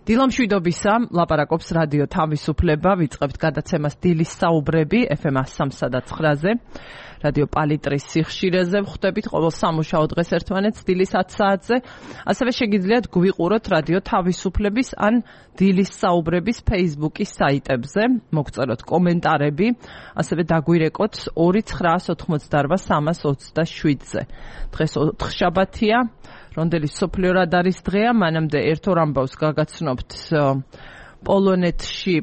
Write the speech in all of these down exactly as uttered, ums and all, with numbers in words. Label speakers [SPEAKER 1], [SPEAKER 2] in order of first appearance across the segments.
[SPEAKER 1] დილამშვიდობისა, ლაპარაკობს რადიო თავისუფლება, ვიწყებთ გადაცემას დილის საუბრები ეფ ემ სამსა და ცხრაზე, რადიო პალიტრის სიხშირეზე, ვხვდებით ყოველ სამუშაო დღეს ერთმანეთს დილის ათ საათზე, ასევე შეგიძლიათ გვიყუროთ რადიო თავისუფლების ან დილის საუბრების Facebook-ის საიტებზე, მოგწეროთ კომენტარები, ასევე დაგვირეკოთ ორი ცხრაას ოთხმოცდაორვა სამას ოცდაშვიდზე. დღეს ოთხშაბათია, რონდელი სოფლიო რადარის დღეა, მანამდე ერთ ორ ამბავს გაგაცნობთ პოლონეთში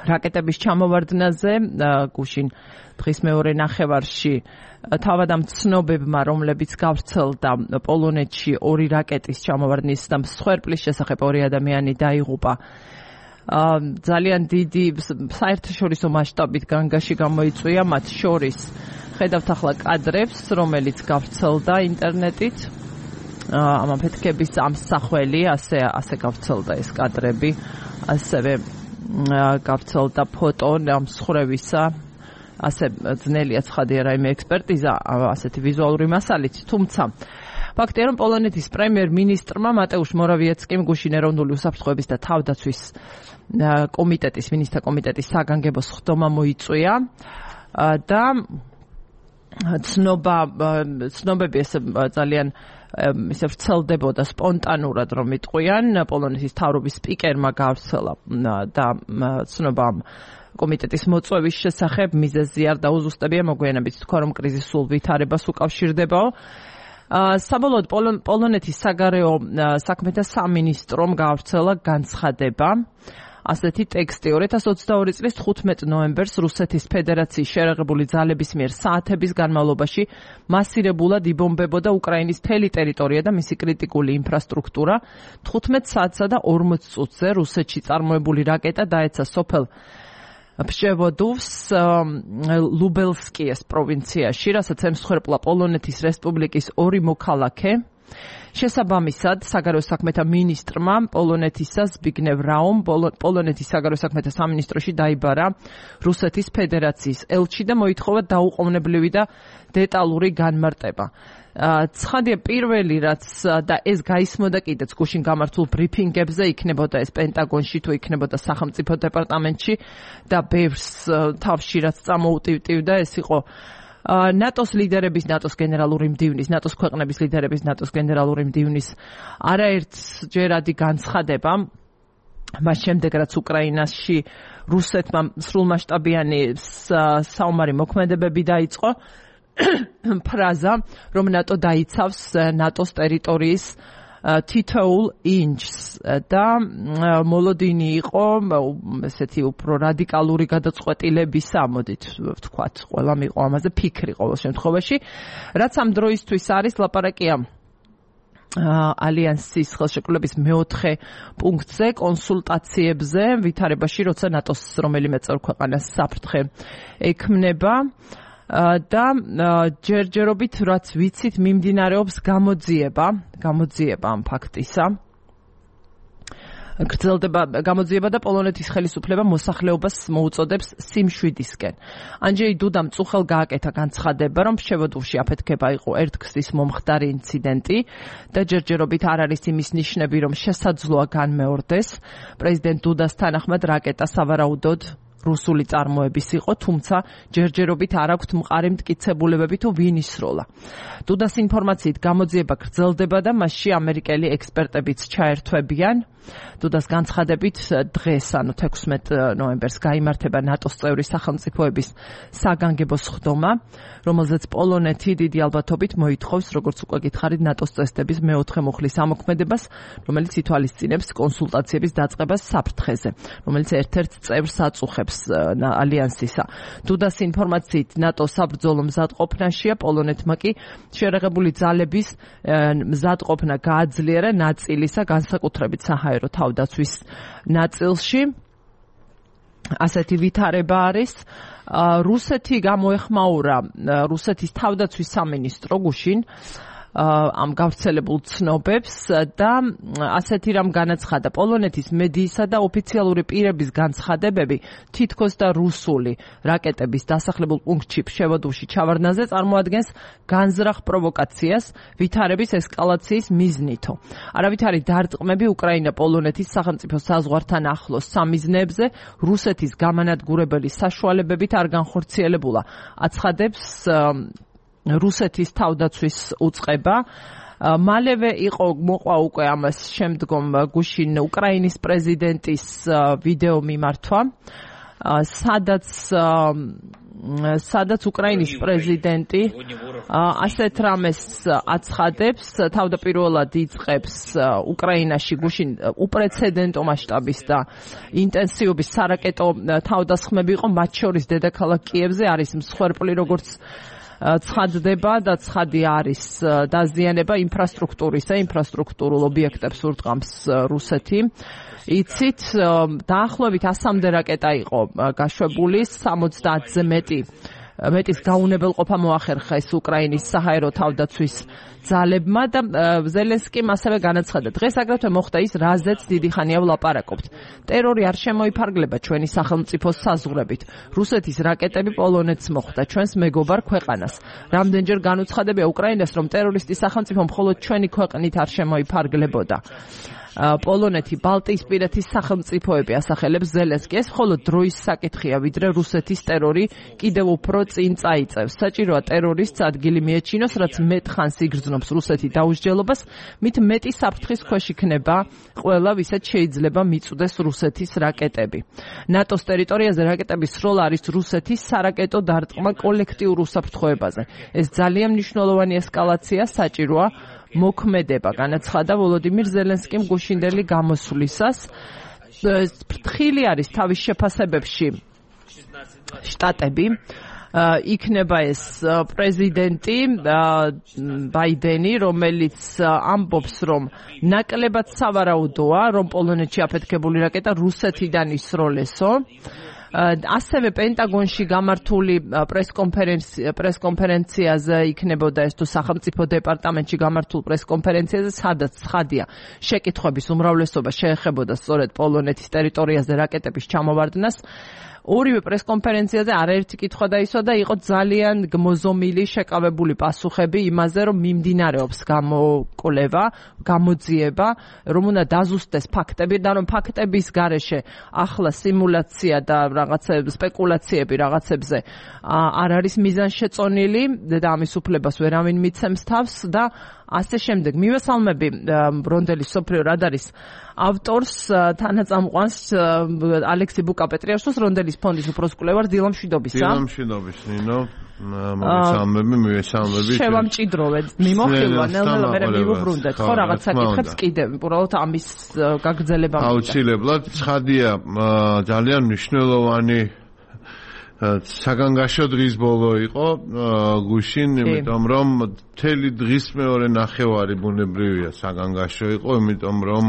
[SPEAKER 1] რაკეტების ჩამოვარდნაზე, გუშინ დღის მეორე ნახევარში თავადამ ცნობებმა, რომლებიც გავრცელდა პოლონეთში ორი რაკეტის ჩამოვარდნის და მსხვერპლის შესახებ ორი ადამიანი დაიღუპა. ძალიან დიდი საერთაშორისო მასშტაბით განგაში გამოიწვია, მათ შორის ხედავთ ახლა კადრებს, რომელიც გავრცელდა ინტერნეტით. ამ აფეთქების ამსახველი, ასე ასე გავრცელდა ეს კადრები, ასევე გავრცელდა ფოტო მსხრევისა, ასე ძნელია ცხადია რაიმე ექსპერტიზა ასეთი ვიზუალური მასალით, თუმცა ფაქტია, რომ პოლონეთის პრემიერ-მინისტრმა მატეუშ მორავიეცკიმ გუშინ ეროვნული უსაფრთხოების და თავდაცვის კომიტეტის, მინისტრთა კომიტეტის საგანგებო სხდომა მოიწვია და ცნობა ცნობები ეს ძალიან ისე ვრცელდებოდა სპონტანურად, რომ იტყვიან, პოლონეთის მთავრობის სპიკერმა გავრცელა და ცნობა კომიტეტის მოწვევის შესახებ, მიზეზი არ დაუზუსტებია, მოგვიანებით თქვა, რომ კრიზის სულ ვითარებას უკავშირდებაო. საბოლოოდ პოლონეთის საგარეო საქმეთა სამინისტრომ გავრცელა განცხადება, ასეთი ტექსტი ორი ათას ოცდაორი წლის თხუთმეტ ნოემბერს რუსეთის ფედერაციის შერეღებული ძალების მიერ საათების განმავლობაში მასირებულად იბომბებოდა უკრაინის მთელი ტერიტორია და მისი კრიტიკული ინფრასტრუქტურა. თხუთმეტ საათსა და ორმოც წუთზე რუსეთში წარმოებული რაკეტა დაეცა სოფელ ფშევოდოვს ლუბელსკიეს პროვინციაში, რასაც ემსხვერპლა პოლონეთის რესპუბლიკის ორი მოქალაქე. შესაბამისად, საგარეო საქმეთა მინისტრმა პოლონეთისა ზბიგნევ რაუმ პოლონეთის საგარეო საქმეთა სამინისტროში დაიბარა რუსეთის ფედერაციის ელჩი და მოითხოვა დაუყოვნებლივი და დეტალური განმარტება. ცხადია, პირველი რაც და ეს გაისმოდა კიდეც გუშინ გამართულ ბრიფინგებზე, იქნებოდა ეს პენტაგონში თუ იქნებოდა სახელმწიფო დეპარტამენტში და ბევრს თავში რაც წამოუტივტივდა, ეს იყო ნატოს ლიდერების, ნატოს გენერალური მდივნის, ნატოს ქვეყნების ლიდერების, ნატოს გენერალური მდივნის არაერთჯერადი განცხადება, მას შემდეგ რაც უკრაინაში რუსეთმა სრულმასშტაბიანი საომარი მოქმედებები დაიწყო, ფრაზა, რომ ნატო დაიცავს ნატოს ტერიტორიის თითოეულ ინჩს და მოლოდინი იყო ესეთი უფრო რადიკალური გადაწყვეტილებისა, მოდით ვთქვათ, ყველა მიყო ამაზე ფიქრი ყოველ შემთხვევაში, რაც ამ დროისთვის არის ლაპარაკია ალიანსის ხელშეკრულების მეოთხე პუნქტზე, კონსულტაციებზე, ვითარებაში, როცა ნატოს რომელიმე წევრ-ქვეყანას საფრთხე ექმნება და ჯერჯერობით, რაც ვიცით, მიმდინარეობს გამოძიება, გამოძიება ამ ფაქტისა. გრძელდება გამოძიება და პოლონეთის ხელისუფლება მოსახლეობას მოუწოდებს სიმშვიდისკენ. ანჯეი დუდამ წუხელ გააკეთა განცხადება, რომ ფშევოდოვში აფეთქება იყო ერთგზის მომხდარი ინციდენტი და ჯერჯერობით არ არის იმის ნიშნები, რომ შესაძლოა განმეორდეს. პრეზიდენტ დუდას თანახმად რაკეტა სავარაუდოდ რუსული წარმოების იყო, თუმცა ჯერჯერობით არ აქვთ მყარი მტკიცებულებები თუ ვინ ისროლა. დუდას ინფორმაციით გამოძიება გრძელდება და მასში ამერიკელი ექსპერტებიც ჩაერთვებიან. დუდას განცხადებით დღეს, ანუ თექვსმეტ ნოემბერს გაიმართება ნატოს წევრი სახელმწიფოების საგანგებო სხდომა, რომელზეც პოლონეთი დიდი ალბათობით მოითხოვს, როგორც უკვე გითხარით, ნატოს წესდების მეოთხე მუხლის ამოქმედებას, რომელიც ითვალისწინებს კონსულტაციების დაწყებას საფრთხეზე, რომელიც ერთ-ერთ წევრს აწუხებს ალიანსისა. დუდას ინფორმაციით ნატო საბრძოლო მზადყოფნაშია, პოლონეთმა კი შერეღებული ძალების მზადყოფნა გააძლიერა ნაწილისა, განსაკუთრებით საჰაერო თავდაცვის ნაწილში. ასეთი ვითარება არის. რუსეთი გამოეხმაურა რუსეთის თავდაცვის სამინისტრო გუშინ ამ გავრცელებულ ცნობებს და ასეთი რამ განაცხადა პოლონეთის მედიისა და ოფიციალური პირების განცხადებები თითქოს და რუსული რაკეტების დასახლებულ პუნქტში ფშევოდუში ჩავარდნაზე წარმოადგენს განზრახ პროვოკაციას ვითარების ესკალაციის მიზნითო. არავითარი დარტყმები უკრაინა-პოლონეთის სახელმწიფო საზღვართან ახლოს სამიზნეებზე რუსეთის გამანადგურებელი საშუალებებით არ განხორციელებულა. აცხადებს რუსეთის თავდაცვის უწყება. მალევე იყო მოყვა უკვე ამას შემდგომ გუშინ უკრაინის პრეზიდენტის ვიდეო მიმართვა, სადაც სადაც უკრაინის პრეზიდენტი ასეთ რამეს აცხადებს, თავდაპირველად იწყებს უკრაინაში გუშინ უპრეცედენტო მასშტაბის და ინტენსივობის სარაკეტო თავდასხმები იყო, მათ შორის დედაქალაქ კიევზე არის მსხვერპლი, როგორც ცხადდება და ცხადი არის დაზიანება ინფრასტრუქტურისა, ინფრასტრუქტურულ ობიექტებს ურტყამს რუსეთი. იცით, დაახლოებით ასამდე რაკეტა იყო გაშვებული, სამოცდაათზე მეტი მეტის გაუნებელყოფა მოახერხეს უკრაინის საჰაერო თავდაცვის ძალებმა და ზელენსკიმ ასევე განაცხადა, დღეს აგრეთვე მოხდა ის, რაზეც დიდი ხანია ვლაპარაკობთ. ტერორი არ შემოიფარგლება ჩვენი სახელმწიფოს საზღვრებით. რუსეთის რაკეტები პოლონეთს მოხვდა, ჩვენს მეგობარ ქვეყანას. რამდენჯერ განუცხადებია უკრაინას, რომ ტერორისტი სახელმწიფო მხოლოდ ჩვენი ქვეყნით არ შემოიფარგლებოდა. პოლონეთი ბალტიისპირეთის სახელმწიფოები ასახელებს ზელენსკის, მხოლოდ დროის საკითხია, ვიდრე რუსეთის ტერორი კიდევ უფრო წინ წაიწევს. საჭიროა ტერორისტს ადგილი მიეჩინოს, რაც მეტ ხანს იგრძნობს რუსეთი დაუსჯელობას, მით მეტი საფრთხის ქვეშ იქნება ყველა, ვისაც შეიძლება მიწვდეს რუსეთის რაკეტები. ნატოს ტერიტორიაზე რაკეტების სროლა არის რუსეთის სარაკეტო დარტყმა კოლექტიურ უსაფრთხოებაზე. ეს ძალიან მნიშვნელოვანი ესკალაცია, საჭიროა მოქმედება, განაცხადა ვოლოდიმირ ზელენსკიმ გუშინდელი გამოსვლისას. ფრთხილი არის თავის შეფასებებში შტატები. იქნება ეს პრეზიდენტი ბაიდენი, რომელიც ამბობს, რომ ნაკლებად სავარაუდოა, რომ პოლონეთში აფეთქებული რაკეტა რუსეთიდან ისროლესო. ასევე პენტაგონში გამართული პრესკონფერენციაზე იქნებოდა ეს თუ სახელმწიფო დეპარტამენტში გამართულ პრესკონფერენციაზე, სადაც ცხადია შეკითხვების უმრავლესობა შეეხებოდა სწორედ პოლონეთის ტერიტორიაზე რაკეტების ჩამოვარდნას. ორივე პრესკონფერენციაზე არაერთი კითხვა დაისვა და იყო ძალიან გმოზომილი შეკავებული პასუხები იმაზე, რომ მიმდინარეობს გამოკვლევა, გამოძიება, რომ უნდა დაზუსტდეს ფაქტები და რომ ფაქტების გარეშე ახლა სიმულაცია და რაღაცა სპეკულაციები რაღაცებზე არ არის მიზანშეწონილი და ამის უფლებას ვერავინ მიცემს თავს და ასე შემდეგ. მივესალმები ბრონდელის სოფლიო რადარის ავტორს, თანაწამყვანს ალექსი ბუკა-პეტრიაშვილს, რონდელის ფონდის უფროს კვლევარ დილა მშვიდობისა.
[SPEAKER 2] დილა მშვიდობის, ნინო. მოგესალმები, მივესალმები.
[SPEAKER 1] შევამჭიდროვეთ. მიმოხილვა, ნელ-ნელა მე მივუბრუნდეთ. ხო, რაღაც საკითხებს კიდევ უბრალოდ ამის გაგრძელება.
[SPEAKER 2] აუცილებლად, ცხადია, ძალიან მნიშვნელოვანი საგანგაშო დღის ბოლო იყო გუშინ, იმიტომ რომ მთელი დღის მეორე ნახევარი ბუნებრივია საგანგაშო იყო, იმიტომ რომ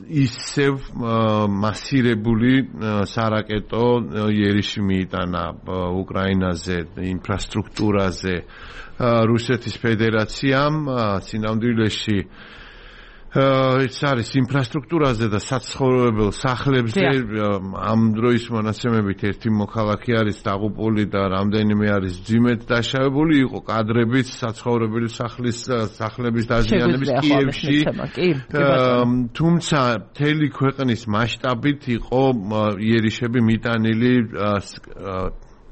[SPEAKER 2] ისევ მასირებული სარაკეტო იერიში მიიტანა უკრაინაზე, ინფრასტრუქტურაზე რუსეთის ფედერაციამ, სინამდვილეში ეს არის ინფრასტრუქტურაზე და საცხოვრებელ სახლებზე. ამ დროის მონაცემებით ერთი მოქალაქე არის დაღუპული და რამდენიმე არის ძიმედ დაშავებული. იყო კადრებიც საცხოვრებელი სახლის სახლების დაზიანების კიევში. თუმცა მთელი ქვეყნის მასშტაბით იყო იერიშები მიტანილი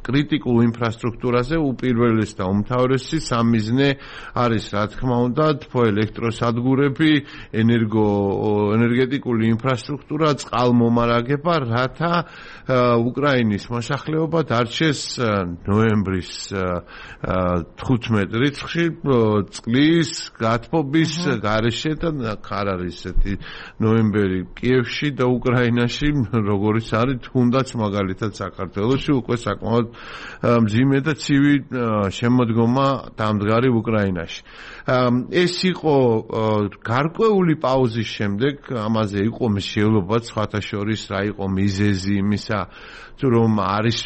[SPEAKER 2] კრიტიკულ ინფრასტრუქტურაზე, უპირველეს და უმთავრესი სამიზნე არის, რა თქმა უნდა, თბოელექტროსადგურები, ენერგო ენერგეტიკული ინფრასტრუქტურა, წყალმომარაგება, რათა უკრაინის მოსახლეობა დარჩეს ნოემბრის თხუთმეტ რიცხვში წყლის გათბობის გარეშე და არ არის ესეთი ნოემბერი კიევში და უკრაინაში, როგორც არის თუნდაც მაგალითად საქართველოში უკვე საკმაოდ მძიმე და ცივი შემოდგომა დამდგარი უკრაინაში. ეს იყო გარკვეული პაუზის შემდეგ, ამაზე იყო მსჯელობა სხვათა შორის რა იყო მიზეზი იმისა, რომ არის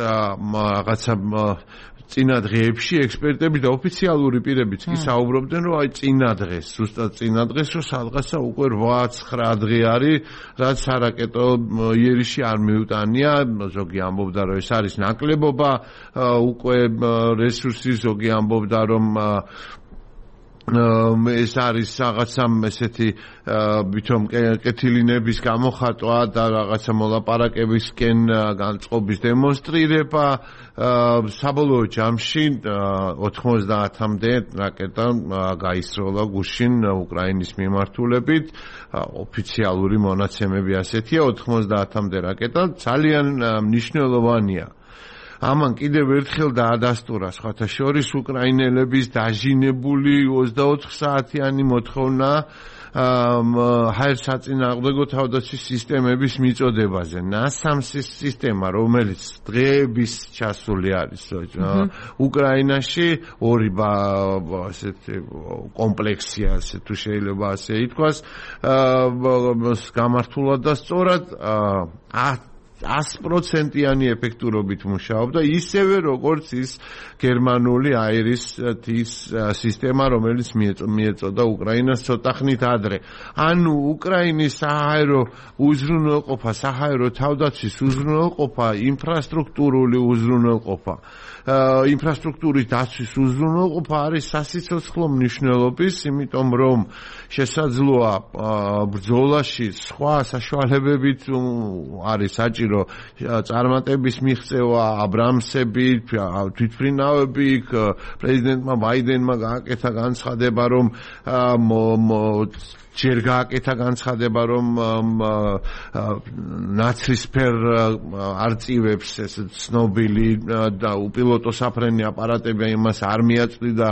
[SPEAKER 2] რაღაცა წინა დღეებში ექსპერტები და ოფიციალური პირებიც კი საუბრობდნენ, რომ აი წინა დღეს, ზუსტად წინა დღეს, რომ სადღაცა უკვე რვა ცხრა დღე არის, რაც არაკეტო იერიში არ მიუტანია, ზოგი ამბობდა, რომ ეს არის ნაკლებობა, უკვე რესურსი, ზოგი ამბობდა, რომ ეს არის რაღაცა ესეთი ვითომ კეთილინების გამოხატვა და რაღაცა მოლაპარაკებისკენ განწყობის დემონსტრირება საბოლოო ჯამში ოთხმოცდაათამდე რაკეტა გაისროლა გუშინ უკრაინის მიმართულებით ოფიციალური მონაცემები ასეთია ოთხმოცდაათამდე რაკეტა ძალიან მნიშვნელოვანია ამან კიდევ ერთხელ დაადასტურა სხვათა შორის უკრაინელების დაჟინებული ოცდაოთხ საათიანი მოთხოვნა ჰაერსაწინააღმდეგო თავდაცვის სისტემების მიწოდებაზე. ნასამსის სისტემა, რომელიც დღეების ჩასული არის უკრაინაში, ორი ასეთი კომპლექსია, ასე თუ შეიძლება ასე ითქვას, გამართულად და სწორად ას პროცენტიანი ეფექტურობით მუშაობდა, ისევე როგორც ის გერმანული აირის სისტემა, რომელიც მიეწოდა უკრაინას ცოტა ხნით ადრე. ანუ უკრაინის საჰაერო უზრუნველყოფა, საჰაერო თავდაცვის უზრუნველყოფა, ინფრასტრუქტურული უზრუნველყოფა, ინფრასტრუქტურის დაცვის უზრუნველყოფა არის სასიცოცხლო მნიშვნელობის, იმიტომ რომ შესაძლოა ბრძოლაში სხვა საშუალებებით არის საჭირო წარმატების მიღწევა, აბრამსები, თვითმფრინავები, პრეზიდენტმა ბაიდენმა გააკეთა განცხადება, რომ ჯერ გააკეთა განცხადება, რომ ნაცრისფერ არწივებს ეს ცნობილი და უპილოტო საფრენი აპარატები იმას არ მიაწვდიდა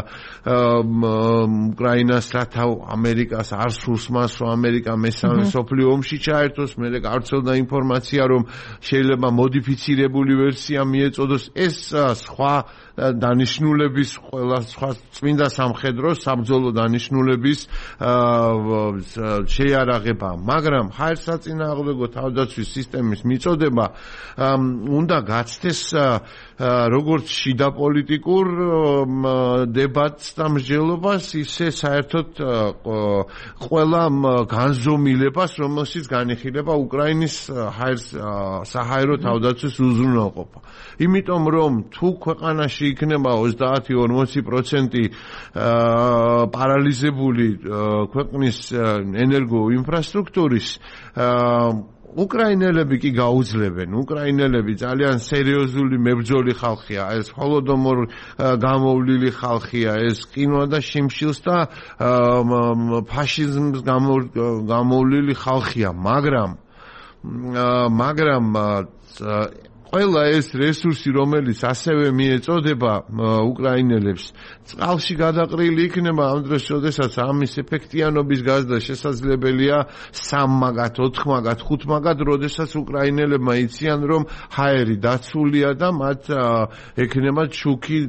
[SPEAKER 2] უკრაინას, რათა ამერიკას არ სურს მას, რომ ამერიკა მესამე მსოფლიო ომში ჩაერთოს, მერე გავრცელდა ინფორმაცია, რომ შეიძლება მოდიფიცირებული ვერსია მიეწოდოს. ეს სხვა დანიშნულების ყველა სხვა წმინდა სამხედრო საბრძოლო დანიშნულების შეიარაღება, მაგრამ ჰაერსაწინააღმდეგო თავდაცვის სისტემის მიწოდება უნდა გაცდეს როგორც შიდა პოლიტიკურ დებატს და მსჯელობას, ისე საერთოდ ყველა განზომილებას, რომელშიც განიხილება უკრაინის საჰაერო თავდაცვის უზრუნველყოფა. იმიტომ რომ თუ ქვეყანაში იქნება ოცდაათი ორმოცი პროცენტი პარალიზებული ქვეყნის ენერგო ინფრასტრუქტურის უკრაინელები კი გაუძლებენ. უკრაინელები ძალიან სერიოზული მებრძოლი ხალხია, ეს ჰოლოდომორ გამოვლილი ხალხია, ეს ყინვა და შიმშილს და ფაშიზმს გამოვლილი ხალხია, მაგრამ მაგრამ ყველა ეს რესურსი, რომელიც ასევე მიეწოდება უკრაინელებს, წყალში გადაყრილი იქნება ამ დროს, როდესაც ამის ეფექტიანობის გაზრდა შესაძლებელია სამ მაგათ, ოთხ მაგათ, ხუთ მაგათ, როდესაც უკრაინელებმა იციან, რომ ჰაერი დაცულია და მათ ექნება ჩუქი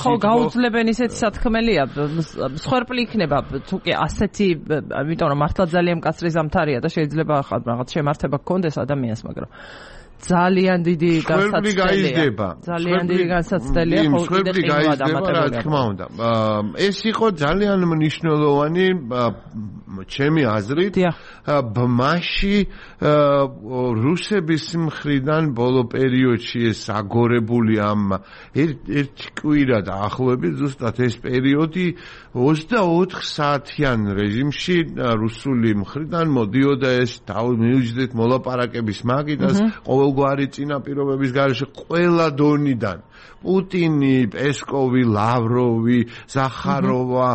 [SPEAKER 1] ხო, გაუძლებენ ისეთი სათქმელია, მსხვერპლი იქნება, თუ კი ასეთი, იმიტომ რომ მართლა ძალიან მკაცრი ზამთარია და შეიძლება რაღაც შემართება გქონდეს ადამიანს, მაგრამ ძალიან დიდი განსაცდელია. ძალიან დიდი განსაცდელია, ხო, კიდე ყინვა დამატებული.
[SPEAKER 2] რა თქმა უნდა. ეს იყო ძალიან მნიშვნელოვანი ჩემი აზრით ბმაში რუსების მხრიდან ბოლო პერიოდში ეს აგორებული ამ ერთი კვირა დაახლოებით ზუსტად ეს პერიოდი ოცდაოთხ საათიან რეჟიმში რუსული მხრიდან მოდიოდა ეს მიუჯდეთ მოლაპარაკების მაგიდას ყოველგვარი წინაპირობების გარეშე ყველა დონიდან პუტინი, პესკოვი, ლავროვი, ზახაროვა,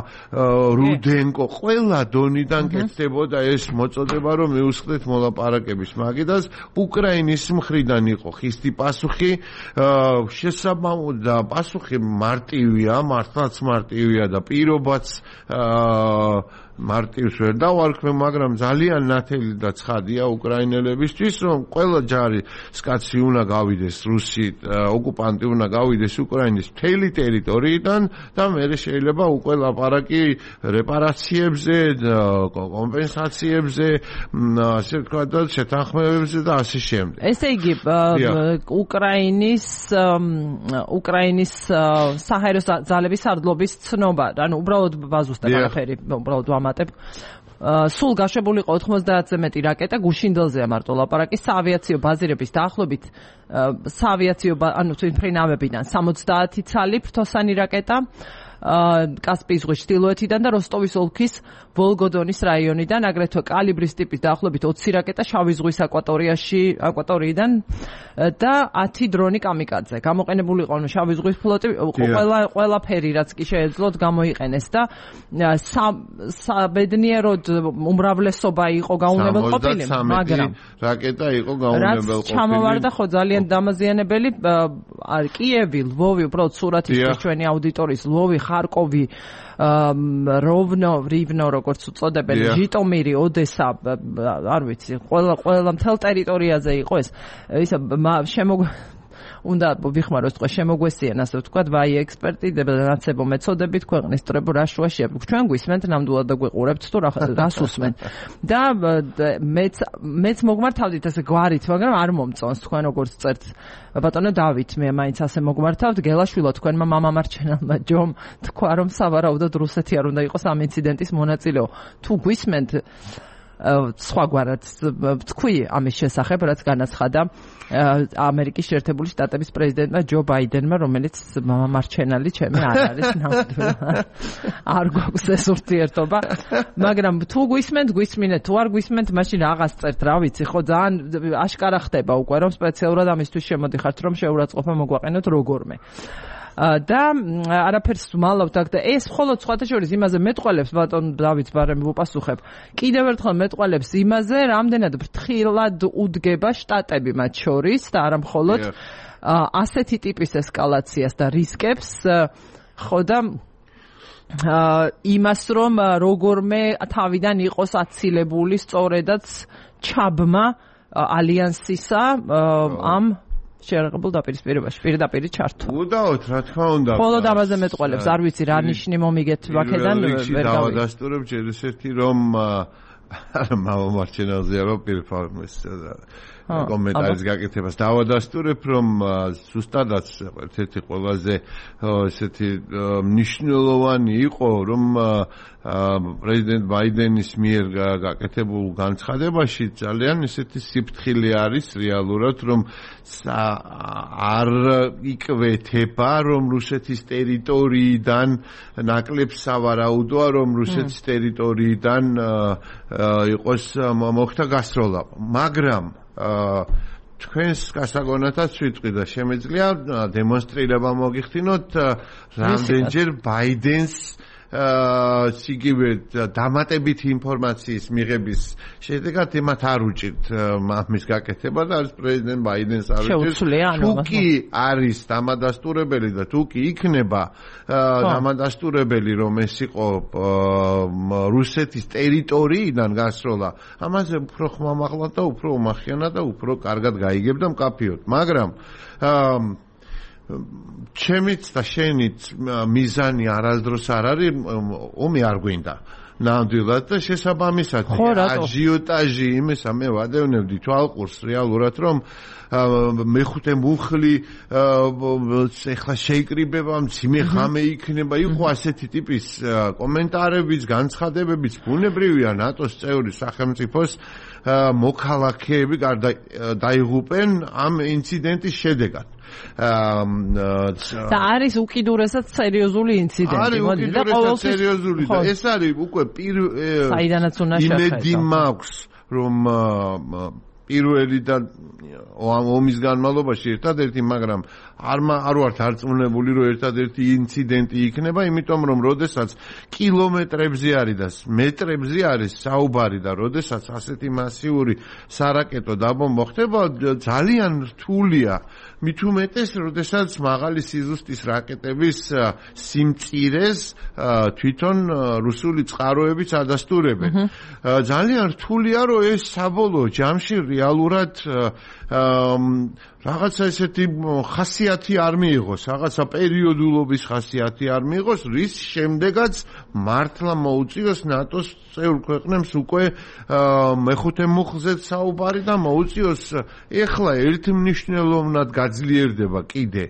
[SPEAKER 2] რუდენკო, ყველა დონიდან კეთდებოდა ეს მოწოდება, რომ მიუსხდეთ მოლაპარაკების მაგიდას. უკრაინის მხრიდან იყო ხისტი პასუხი, შესაბამო და პასუხი მარტივია, მართლაც მარტივია და პირობაც მარტივს ვერ დავარქვე, მაგრამ ძალიან ნათელი და ცხადია უკრაინელებისთვის, რომ ყველა ჯარი სკაცი უნდა გავიდეს რუსი ოკუპანტი უნდა გავიდეს უკრაინის მთელი ტერიტორიიდან და მე შეიძლება უკვე ლაპარაკი რეპარაციებზე, კომპენსაციებზე, ასე ვთქვათ და შეთანხმებებზე და ასე შემდეგ.
[SPEAKER 1] ესე იგი უკრაინის უკრაინის საჰაერო ძალების სარდლობის ცნობა, ანუ უბრალოდ ბაზუსტებ არაფერი, უბრალოდ ვამატებ. სულ გაშვებული იყო ოთხმოცდაათზე მეტი რაკეტა, გუშინდელზეა მარტო ლაპარაკი, საავიაციო ბაზირების დაახლოებით საავიაციო ანუ თვითმფრინავებიდან სამოცდაათი ცალი ფრთოსანი რაკეტა, კასპიის ზღვის ჩრდილოეთიდან და როსტოვის ოლქის ვოლგოდონის რაიონიდან, აგრეთვე კალიბრის ტიპის დაახლოებით ოცი რაკეტა შავი ზღვის აკვატორიაში, აკვატორიიდან და ათი დრონი კამიკაძე. გამოყენებული იყო შავი ზღვის ფლოტი, ყველა ყველაფერი რაც კი შეეძლოთ გამოიყენეს და საბედნიეროდ უმრავლესობა იყო გაუნებელყოფილი, მაგრამ
[SPEAKER 2] რაკეტა იყო გაუნებელყოფილი.
[SPEAKER 1] რაც ჩამოვარდა ხო ძალიან დამაზიანებელი, კიევი, ლვოვი, უბრალოდ სურათის ჩვენი აუდიტორიის ლვოვი, ხარკოვი, როვნო, რივნო, როგორც უწოდებენ, ჟიტომირი, ოდესა, არ ვიცი, ყველა ყველა მთელ ტერიტორიაზე იყო ეს. ისა შემოგ უნდა ვიხმაროს თქვა შემოგვესიან ასე ვთქვათ ვაი ექსპერტი დანაცებო მეცოდებით ქვეყნის სტრებო რა შუაშია ჩვენ გვისმენთ ნამდვილად და გვიყურებთ თუ რას უსმენ და მეც მეც მოგმართავდით ასე გვარით მაგრამ არ მომწონს თქვენ როგორც წერთ ბატონო დავით მე მაინც ასე მოგმართავთ გელაშვილო თქვენმა მამამარჩენელმა ჯომ თქვა რომ სავარაუდოდ რუსეთი არ უნდა იყოს ამ ინციდენტის მონაწილეო თუ გვისმენთ სხვაგვარად თქვი ამის შესახებ რაც განაცხადა ამერიკის შეერთებული შტატების პრეზიდენტმა ჯო ბაიდენმა რომელიც მამამარჩენელი ჩემი არ არის ნამდვილად არ გვაქვს ეს ურთიერთობა მაგრამ თუ გვისმენთ გვისმინეთ თუ არ გვისმენთ მაშინ რაღაც წერთ რა ვიცი ხო ძალიან აშკარა ხდება უკვე რომ სპეციალურად ამისთვის შემოდიხართ რომ შეურაცხყოფა მოგვაყენოთ როგორმე და არაფერს ვმალავთ აქ და ეს მხოლოდ სხვათა შორის იმაზე მეტყველებს ბატონ დავით ბარემ ვუპასუხებ კიდევ ერთხელ მეტყველებს იმაზე რამდენად ფრთხილად უდგება შტატები მათ შორის და არა მხოლოდ ასეთი ტიპის ესკალაციას და რისკებს ხო და იმას რომ როგორმე თავიდან იყოს აცილებული სწორედაც ჩაბმა ალიანსისა ამ შეერაღებულ დაპირისპირებაში პირდაპირ ჩართვა.
[SPEAKER 2] უდაოდ, რა თქმა უნდა.
[SPEAKER 1] მხოლოდ ამაზე მეტყველებს, არ ვიცი რა ნიშნი მომიგეთ ვაკედან ვერ
[SPEAKER 2] დავადასტურებ ჯერისერთი რომ მამამარჩენელზეა რომ პირფორმეს კომენტარის გაკეთებას დავადასტურებ რომ ზუსტადაც ერთ-ერთი ყველაზე ესეთი მნიშვნელოვანი იყო რომ პრეზიდენტ ბაიდენის მიერ გაკეთებულ განცხადებაში ძალიან ესეთი სიფრთხილე არის რეალურად რომ არ იკვეთება რომ რუსეთის ტერიტორიიდან ნაკლებ სავარაუდოა რომ რუსეთის ტერიტორიიდან იყოს მოხდა გასროლა მაგრამ თქვენს გასაგონათაც ვიტყვი და შემეძლია დემონსტრირება მოგიხდინოთ რამდენჯერ ბაიდენს სიგივე დამატებით ინფორმაციის მიღების შედეგად იმათ არ უჭირთ ამის გაკეთება და არის პრეზიდენტ ბაიდენს არ უჭირთ თუ კი არის დამადასტურებელი და თუ კი იქნება დამადასტურებელი რომ ეს იყო რუსეთის ტერიტორიიდან გასროლა ამაზე უფრო ხმამაღლა და უფრო უმახიანად და უფრო კარგად გაიგებდა მკაფიოდ მაგრამ ჩემიც და შენიც მიზანი არასდროს არ არის ომი არ გვინდა ნამდვილად და შესაბამისად აჟიოტაჟი იმისა მე ვადევნებდი თვალყურს რეალურად რომ მეხუთე მუხლი ეხლა შეიკრიბება მძიმე ხამე იქნება იყო ასეთი ტიპის კომენტარებიც განცხადებებიც ბუნებრივია ნატოს წევრი სახელმწიფოს მოქალაქეები დაიღუპენ ამ ინციდენტის შედეგად
[SPEAKER 1] და არის უკიდურესად სერიოზული ინციდენტი მოდი და
[SPEAKER 2] ყოველთვის სერიოზული და ეს არის უკვე საიდანაც უნდა შეხება იმედი მაქვს რომ პირველი და ომის განმავლობაში ერთადერთი, მაგრამ არ არ ვართ არწმუნებული, რომ ერთადერთი ინციდენტი იქნება, იმიტომ რომ როდესაც კილომეტრებზე არის და მეტრებზე არის საუბარი და როდესაც ასეთი მასიური სარაკეტო დაბომბვა ხდება, ძალიან რთულია. მით უმეტეს, როდესაც მაღალი სიზუსტის რაკეტების სიმწირეს თვითონ რუსული წყაროებიც ადასტურებენ. ძალიან რთულია, რომ ეს საბოლოო ჯამში რეალურად რაღაცა ესეთი ხასიათი არ მიიღოს, რაღაცა პერიოდულობის ხასიათი არ მიიღოს, რის შემდეგაც მართლა მოუწიოს ნატოს წევრ ქვეყნებს უკვე მეხუთე მუხლზეც საუბარი და მოუწიოს ეხლა ერთმნიშვნელოვნად გაძლიერდება კიდე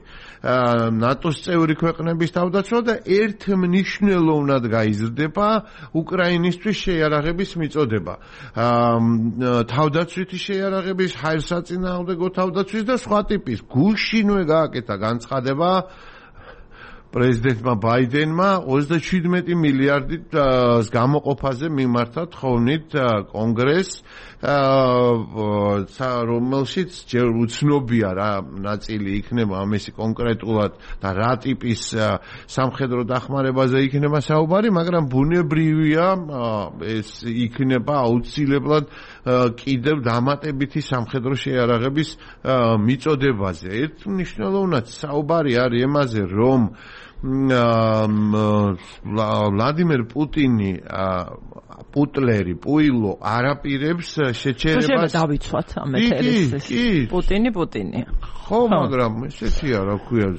[SPEAKER 2] ნატოს წევრი ქვეყნების თავდაცვა და ერთმნიშვნელოვნად გაიზრდება უკრაინისთვის შეიარაღების მიწოდება. თავდაცვითი შეიარაღების, ჰაერსაწინააღმდეგო თავდაცვის და სხვა ტიპის. გუშინვე გააკეთა განცხადება პრეზიდენტმა ბაიდენმა ოცდაშვიდმეტი მილიარდით გამოყოფაზე მიმართა თხოვნით კონგრესს, რომელშიც ჯერ უცნობია რა ნაწილი იქნება ამისი კონკრეტულად და რა ტიპის სამხედრო დახმარებაზე იქნება საუბარი, მაგრამ ბუნებრივია ეს იქნება აუცილებლად კიდევ დამატებითი სამხედრო შეიარაღების მიწოდებაზე. ერთმნიშვნელოვნად საუბარი არის იმაზე, რომ ვლადიმერ პუტინი პუტლერი, პუილო არაპირებს შეჩერებას.
[SPEAKER 1] შეიძლება დავიცვათ ამ ეთერის პუტინი, პუტინი.
[SPEAKER 2] ხო, მაგრამ ესეთი არა ქვია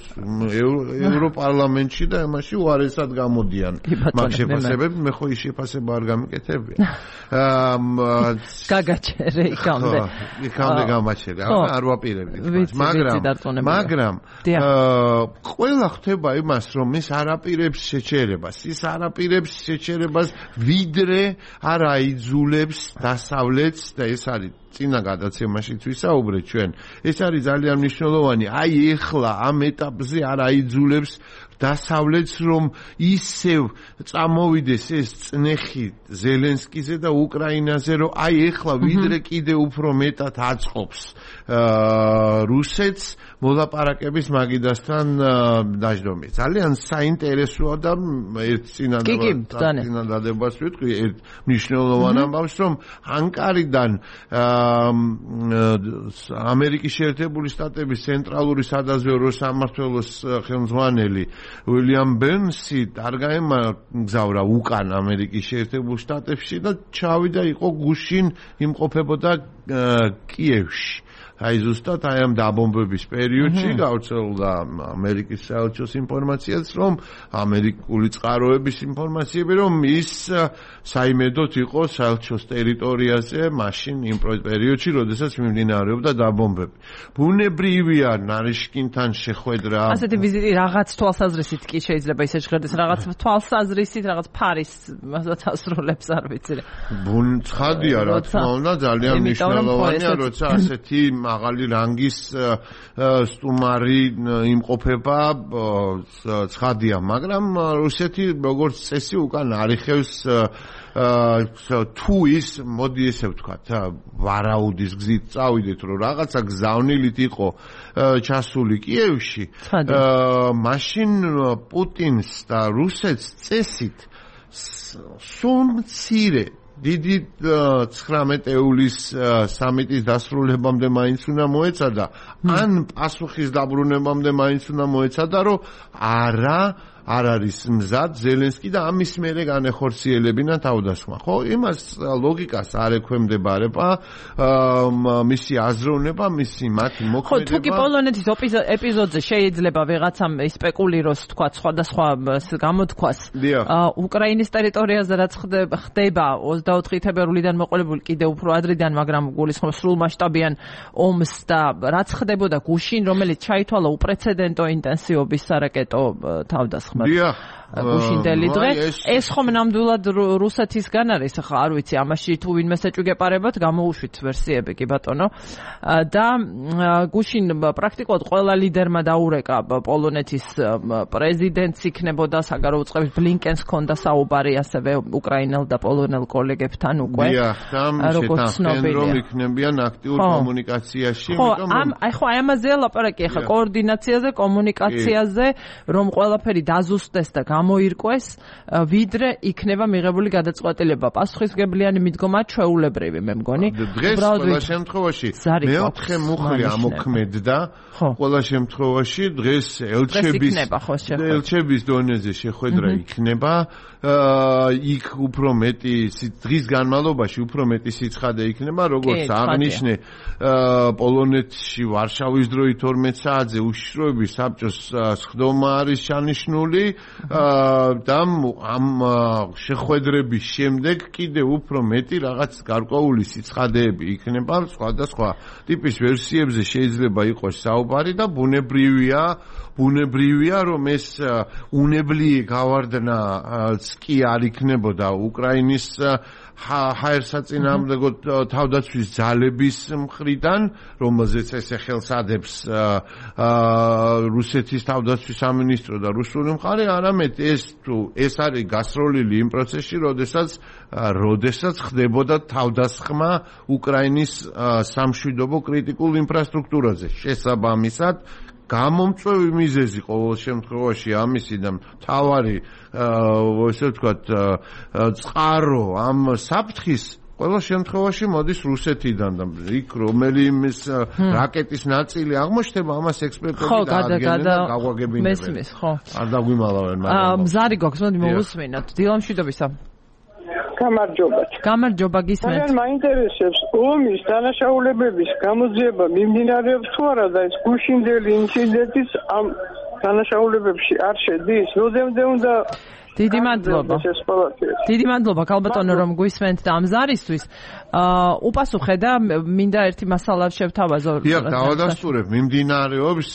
[SPEAKER 2] ევროპარლამენტში და იმაში უარესად გამოდიან მაგ შეფასებები, მე ხო ის შეფასება არ გამიკეთებია.
[SPEAKER 1] გაგაჩერე იქამდე.
[SPEAKER 2] იქამდე გამაჩერე, არ ვაპირებდი. მაგრამ მაგრამ ყველა ხდება იმას, რომ ის არაპირებს შეჩერებას, ის არაპირებს შეჩერებას ვიდრე არ აიძულებს დასავლეთს და ეს არის წინა გადაცემაშიც ვისაუბრეთ ჩვენ. ეს არის ძალიან მნიშვნელოვანი. აი ეხლა ამ ეტაპზე არ აიძულებს დასავლეთს, რომ ისევ წამოვიდეს ეს წნეხი ზელენსკიზე და უკრაინაზე, რომ აი ეხლა ვიდრე კიდე უფრო მეტად აწყობს რუსეთს მოლაპარაკების მაგიდასთან დაждომი. ძალიან საინტერესოა და ერთ წინადადებას ვიტყვი, ერთ მნიშვნელოვან ამბავს, რომ ანკარიდან ამერიკის შეერთებული შტატების ცენტრალური სადაზვერვო სამმართველოს ხელმძღვანელი უილიამ ბერნსი არ გაემგზავრა უკან ამერიკის შეერთებულ შტატებში და ჩავიდა, იყო გუშინ იმყოფებოდა კიევში. აი ზუსტად აი ამ დაბომბების პერიოდში გავრცელდა ამერიკის საელჩოს ინფორმაციაც, რომ ამერიკული წყაროების ინფორმაციები, რომ ის საიმედოდ იყო საელჩოს ტერიტორიაზე მაშინ იმ პერიოდში, როდესაც მიმდინარეობდა დაბომბები. ბუნებრივია ნარიშკინთან შეხვედრა.
[SPEAKER 1] ასეთი ვიზიტი რაღაც თვალსაზრისით კი შეიძლება ისე შეხედეს, რაღაც თვალსაზრისით, რაღაც ფარის ასრულებს არ ვიცი.
[SPEAKER 2] ცხადია რა თქმა უნდა, ძალიან მნიშვნელოვანია, როცა ასეთი მაღალი რანგის სტუმარი იმყოფება, ცხადია, მაგრამ რუსეთი როგორც წესი უკან არიხევს თუ ის, მოდი ესე ვთქვათ, ვარაუდის გზით წავიდეთ, რომ რაღაცა გზავნილით იყო ჩასული კიევში, მაშინ პუტინს და რუსეთს წესით სულ მცირე დიდი ცხრამეტ ეულის სამიტის დასრულებამდე მაინც უნდა მოეცადა, ან პასუხის დაბრუნებამდე მაინც უნდა მოეცადა, რომ არა არ არის მზად ზელენსკი და ამის მერე განეხორციელებინა თავდასხმა. ხო, იმას ლოგიკას არ ექვემდებარება მისი აზროვნება, მისი მათი მოქმედება.
[SPEAKER 1] ხო, თუ კი პოლონეთის ეპიზოდზე შეიძლება ვიღაცამ სპეკულიროს, თქვა, სხვადასხვა გამოთქვას უკრაინის ტერიტორიაზე რაც ხდება ოცდაოთხი თებერვლიდან მოყოლებული კიდევ უფრო ადრიდან, მაგრამ გულისხმობს სრულმასშტაბიან ომს და რაც ხდებოდა გუშინ, რომელიც ჩაითვალა უპრეცედენტო ინტენსივობის სარაკეტო თავდასხმა. გუშინდელი დღე. ეს ხომ ნამდვილად რუსეთისგან არის, ხა არ ვიცი, ამაში თუ ვინმე ეჭვგეპარებათ, გამოუშვით ვერსიები კი ბატონო. და გუშინ პრაქტიკულად ყველა ლიდერმა დაურეკა პოლონეთის პრეზიდენტს იქნებოდა საგარეო წყების ბლინკენს ჰქონდა საუბარი ასევე უკრაინელ და პოლონელ კოლეგებთან უკვე.
[SPEAKER 2] დიახ, როგორც ცნობილია, რომ იქნებიან აქტიურ კომუნიკაციაში,
[SPEAKER 1] იმიტომ რომ აი ხო აი ამაზეა ლაპარაკი ახლა კოორდინაციაზე, კომუნიკაციაზე, რომ ყველაფერი დაზუსტდეს და გამოირკვეს, ვიდრე იქნება მიღებული გადაწყვეტილება. პასუხისმგებლიანი მიდგომა ჩვეულებრივი, მე მგონი.
[SPEAKER 2] დღეს ყველა შემთხვევაში მეოთხე მუხლი ამოქმედდა. ყველა შემთხვევაში დღეს ელჩების ელჩების დონეზე შეხვედრა იქნება. იქ უფრო მეტი დღის განმავლობაში უფრო მეტი სიცხადე იქნება, როგორც აღნიშნე პოლონეთში ვარშავის დროით ორმეტ საათზე უშიშროების საბჭოს სხდომა არის ჩანიშნული და ამ შეხვედრების შემდეგ კიდევ უფრო მეტი რაღაც გარკვეული სიცხადეები იქნება სხვადასხვა ტიპის ვერსიებზე შეიძლება იყოს საუბარი და ბუნებრივია ბუნებრივია რომ ეს უნებლი გავარდნაც კი არ იქნებოდა უკრაინის ჰაერსაწინააღმდეგო თავდაცვის ძალების მხრიდან, რომელზეც ესე ხელს ადებს რუსეთის თავდაცვის სამინისტრო და რუსული მხარე, არამედ ეს თუ ეს არის გასროლილი იმ პროცესში, როდესაც როდესაც ხდებოდა თავდასხმა უკრაინის სამშვიდობო კრიტიკულ ინფრასტრუქტურაზე. შესაბამისად, გამომწვევი მიზეზი ყოველ შემთხვევაში ამისი და მთავარი ესე ვთქვათ წყარო ამ საფრთხის ყველა შემთხვევაში მოდის რუსეთიდან და იქ რომელიმე რაკეტის ნაწილი აღმოჩნდება, ამას ექსპერტები დაადგენენ და გაგვაგებინებენ.
[SPEAKER 1] მესმის, ხო.
[SPEAKER 2] არ დაგვიმალავენ მაგრამ.
[SPEAKER 1] მზარი გვაქვს, მოდი მოვუსმინოთ. დილამშვიდობისა.
[SPEAKER 3] გამარჯობათ.
[SPEAKER 1] გამარჯობა, გისმენთ.
[SPEAKER 3] მაგრამ მაინტერესებს ომის დანაშაულებების გამოძიება მიმდინარეობს თუ არა და ეს გუშინდელი ინციდენტის ამ დანაშაულებებში არ შედის? როდემდე უნდა
[SPEAKER 1] დიდი მადლობა. დიდი მადლობა ქალბატონო რომ გვისმენთ და ამ ზარისთვის. აა უპასუხე და მინდა ერთი მასალა შევთავაზო.
[SPEAKER 2] დიახ, დავადასტურებ, მიმდინარეობს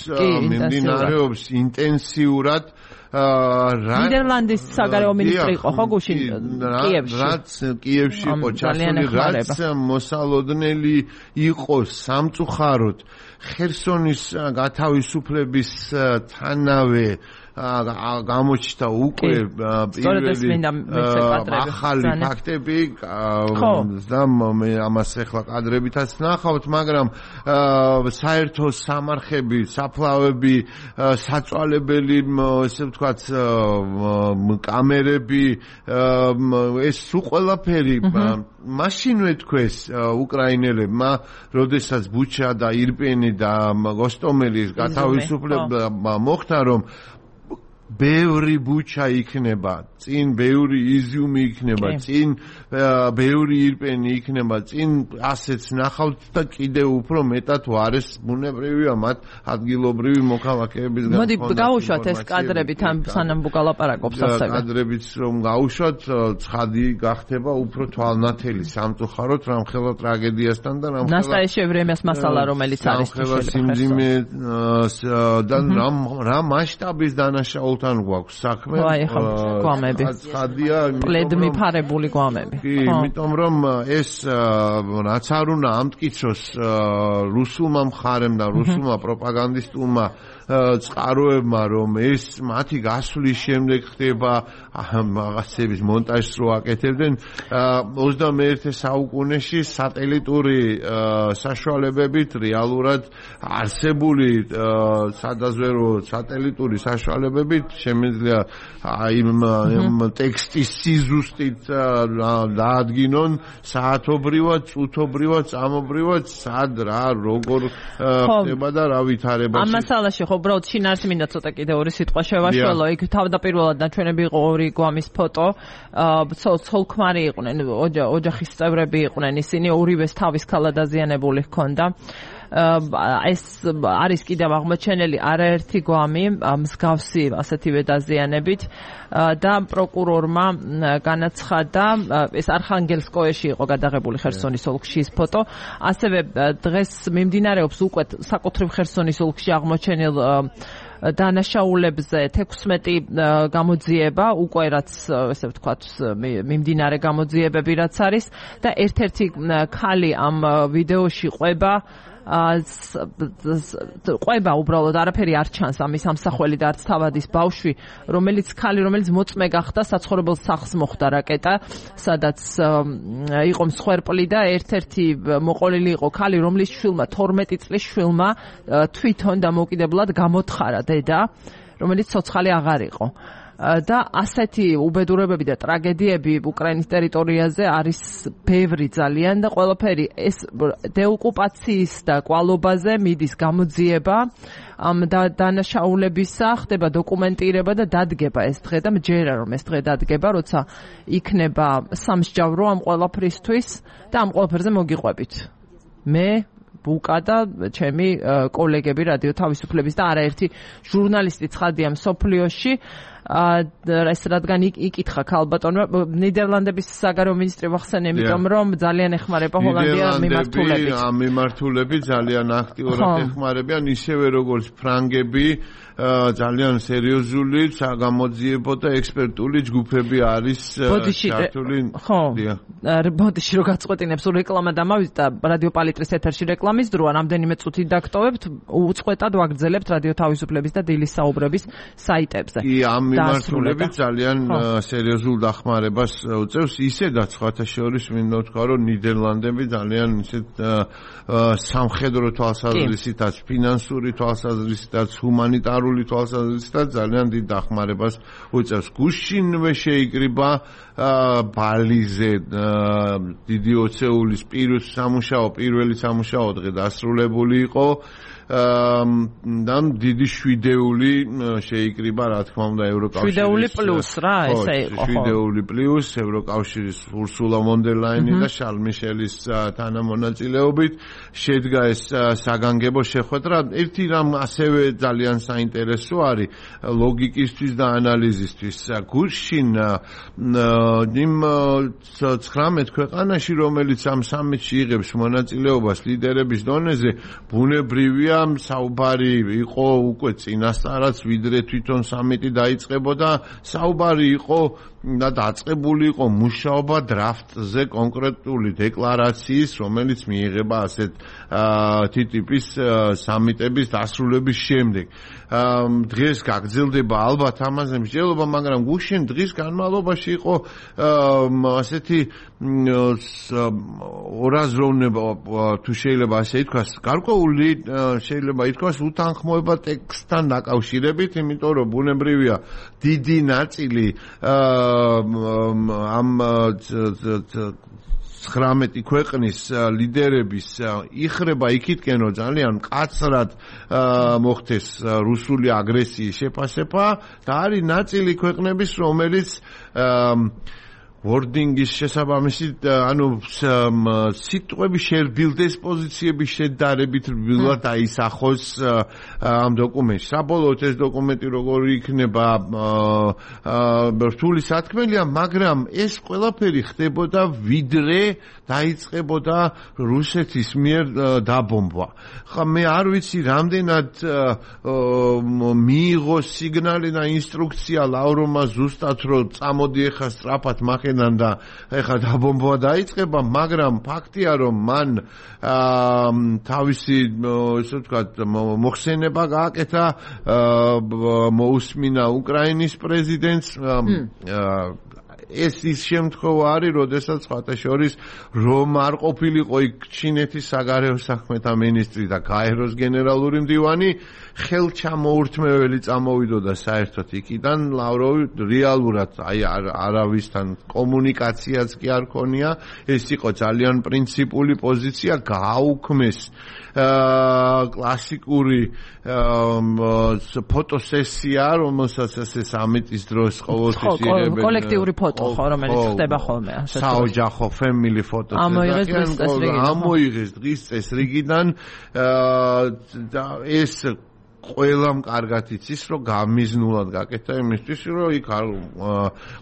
[SPEAKER 2] მიმდინარეობს ინტენსიურად
[SPEAKER 1] ნიდერლანდის საგარეო მინისტრი იყო ხო გუშინ კიევში?
[SPEAKER 2] რაც კიევში იყო ჩასული, რაც მოსალოდნელი იყო სამწუხაროდ ხერსონის გათავისუფლების თანავე გამოჩნდა უკვე პირველი ახალი ფაქტები და მე ამას ახლა კადრებითაც ნახავთ, მაგრამ საერთო სამარხები, საფლავები, საწვალებელი, ესე ვთქვათ, კამერები, ეს სულ ყველაფერი მაშინვე თქვეს უკრაინელებმა, როდესაც ბუჩა და ირპენი და გოსტომელის გათავისუფლება მოხდა, რომ ბევრი ბუჩა იქნება, წინ ბევრი იზიუმი იქნება, წინ ბევრი ირპენი იქნება, წინ ასეც ნახავთ და კიდევ უფრო მეტად ვარეს ბუნებრივია მათ ადგილობრივი მოქალაქეებისგან.
[SPEAKER 1] მოდი გავუშვათ ეს კადრები თან სანამ ვგალაპარაკობთ ასევე.
[SPEAKER 2] კადრებიც რომ გავუშვათ, ცხადი გახდება უფრო თვალნათელი სამწუხაროდ რამხელა ტრაგედიასთან და რამხელა
[SPEAKER 1] ნასტაიე ვრემიას მასალა რომელიც არის
[SPEAKER 2] სიმძიმე და რა მასშტაბის დანაშაულთან გვაქვს საქმე.
[SPEAKER 1] აი ხო, გვამები.
[SPEAKER 2] ცხადია,
[SPEAKER 1] პლედმი ფარებული გვამები.
[SPEAKER 2] კი, იმიტომ რომ ეს რაც არ უნდა ამტკიცოს რუსულმა მხარემ და რუსულმა პროპაგანდისტულმა წყაროებმა, რომ ეს მათი გასვლის შემდეგ ხდება რაღაცების მონტაჟს რო აკეთებდნენ ოცდამეერთე საუკუნეში სატელიტური საშუალებებით რეალურად არსებული სადაზვერო სატელიტური საშუალებებით შემიძლია იმ ტექსტის სიზუსტით დაადგინონ საათობრივად, წუთობრივად, წამობრივად, სად რა როგორ ხდება და რა ვითარებაში.
[SPEAKER 1] ამ მასალაში ხო უბრალოდ შინაარსი მინდა ცოტა კიდე ორი სიტყვა შევაშველო. იქ თავდაპირველად ნაჩვენები იყო ორი გვამის ფოტო. ცოლ-ქმარი იყვნენ, ოჯახის წევრები იყვნენ ისინი, ორივეს თავის ქალა დაზიანებული ჰქონდა. ეს არის კიდევ აღმოჩენილი არაერთი გვამი მსგავსი ასეთივე დაზიანებით და პროკურორმა განაცხადა, ეს არხანგელსკოეში იყო გადაღებული ხერსონის ოლქში ის ფოტო, ასევე დღეს მიმდინარეობს უკვე საკუთრივ ხერსონის ოლქში აღმოჩენილ დანაშაულებზე თექვსმეტი გამოძიება, უკვე რაც ესე ვთქვათ, მიმდინარე გამოძიებები რაც არის და ერთ-ერთი ქალი ამ ვიდეოში ყვება ყვება უბრალოდ არაფერი არ ჩანს ამის ამსახველი და არც თავადის ბავშვი, რომელიც ქალი, რომელიც მოწმე გახდა საცხოვრებელ სახლს მოხვდა რაკეტა, სადაც იყო მსხვერპლი და ერთ-ერთი მოყოლილი იყო ქალი, რომლის შვილმა თორმეტი წლის შვილმა თვითონ დამოუკიდებლად გამოთხარა დედა, რომელიც ცოცხალი აღარ იყო. და ასეთი უბედურებები და ტრაგედიები უკრაინის ტერიტორიაზე არის ბევრი ძალიან და ყველაფერი ეს დეოკუპაციის და კვალობაზე მიდის გამოძიება ამ დანაშაულებისა, ხდება დოკუმენტირება და დადგება ეს დღე და მჯერა რომ ეს დღე დადგება, როცა იქნება სამსჯავრო ამ ყველაფრისთვის და ამ ყველაფერზე მოგიყვებით. მე ბუკა და ჩემი კოლეგები რადიო თავისუფლების და არაერთი ჟურნალისტი ცხადია მსოფლიოში ეს რადგან იკითხა ქალბატონმა ნიდერლანდების საგარეო მინისტრი ვახსენე, იმიტომ რომ ძალიან ეხმარება ჰოლანდია მიმართულებით.
[SPEAKER 2] ამ მიმართულებით ძალიან აქტიურად ეხმარებიან, ისევე როგორც ფრანგები, ძალიან სერიოზული საგამოძიებო და ექსპერტული ჯგუფები არის ჩართული.
[SPEAKER 1] ხო, ბოდიში რო გაწყვეტინებ სულ რეკლამა დამავიდეთ და რადიო პალიტრის ეთერში რეკლამის დროა, რამდენიმე წუთი დაგტოვებთ, უწყვეტად ვაგრძელებთ რადიო თავისუფლების და დილის საუბრების საიტებზე.
[SPEAKER 2] კი, ამ მიმართულებით ძალიან სერიოზულ დახმარებას უწევს, ისედაც სხვათა შორის მინდა ვთქვა, რომ ნიდერლანდები ძალიან ისეთ სამხედრო თვალსაზრისითაც, ფინანსური თვალსაზრისითაც, ჰუმანიტარული თვალსაზრისითაც ძალიან დიდ დახმარებას უწევს. გუშინვე შეიკრიბა ბალიზე დიდი ოცეულის პირველი სამუშაო, პირველი სამუშაო დღე დასრულებული იყო. და დიდი შვიდეული შეიკრიბა, რა თქმა უნდა, ევროკავშირის
[SPEAKER 1] შვიდეული პლუს რა, ესე იყო.
[SPEAKER 2] შვიდეული პლუს ევროკავშირის ურსულა ვონ დერ ლაინის და შარლ მიშელის თანამონაწილეობით შედგა ეს საგანგებო შეხვედრა. ერთი რამ ასევე ძალიან საინტერესო არის ლოგიკისთვის და ანალიზისთვის. გუშინ იმ ცხრამეტ ქვეყანაში, რომელიც ამ სამიტში იღებს მონაწილეობას ლიდერების დონეზე, ბუნებრივია საუბარი იყო უკვე წინასწარაც, ვიდრე თვითონ სამიტი დაიწყებოდა, საუბარი იყო და დაწყებული იყო მუშაობა დრაფტზე კონკრეტული დეკლარაციის, რომელიც მიიღება ასეთ ტიპის სამიტების დასრულების შემდეგ. დღეს გაგრძელდება ალბათ ამაზე მსჯელობა, მაგრამ გუშინ დღის განმავლობაში იყო ასეთი ორაზროვნება, თუ შეიძლება ასე ითქვას, გარკვეული შეიძლება ითქვას უთანხმოება ტექსტთან დაკავშირებით, იმიტომ რომ ბუნებრივია დიდი ნაწილი ამ ცხრამეტი ქვეყნის ლიდერების იხრება იქითკენ, რომ ძალიან მკაცრად მოხდეს რუსული აგრესიის შეფასება და არის ნაწილი ქვეყნების, რომელიც wording-ის შესაბამისით, ანუ სიტყვები შერბილდეს, პოზიციების შედარებით რბილად დაისახოს ამ დოკუმენტში. საბოლოოდ ეს დოკუმენტი როგორი იქნება რთული სათქმელია, მაგრამ ეს ყველაფერი ხდებოდა ვიდრე დაიწყებოდა რუსეთის მიერ დაბომბვა. ხა მე არ ვიცი რამდენად მიიღო სიგნალი და ინსტრუქცია ლავროვმა ზუსტად, რომ წამოდი ახლა სწრაფად მაქედან და ახლა დაბომბვა დაიწყება, მაგრამ ფაქტია, რომ მან თავისი ესე ვთქვათ მოხსენება გააკეთა, მოусმინა უკრაინის პრეზიდენტს. ეს ის შემთხვევა არის, როდესაც სხვათა შორის რომ არ ყოფილიყო იქ ჩინეთის საგარეო საქმეთა მინისტრი და გაეროს გენერალური მდივანი, ხელჩამოურთმეველი წამოვიდოდა საერთოდ იქიდან. ლავროვი რეალურად აი არავისთან კომუნიკაციაც კი არ ქონია, ეს იყო ძალიან პრინციპული პოზიცია, გააუქმეს კლასიკური ფოტოსესია, რომელსაც ესე სამიტის დროს ყოველთვის იღებენ
[SPEAKER 1] კოლექტიური ფოტო, ხო, რომელიც ხდება ხოლმე ასე.
[SPEAKER 2] საოჯახო family photos. ამოიღეს დღის წესრიგიდან და ეს ყველამ კარგად იცის, რომ გამიზნულად გაკეთა იმისთვის, რომ იქ არ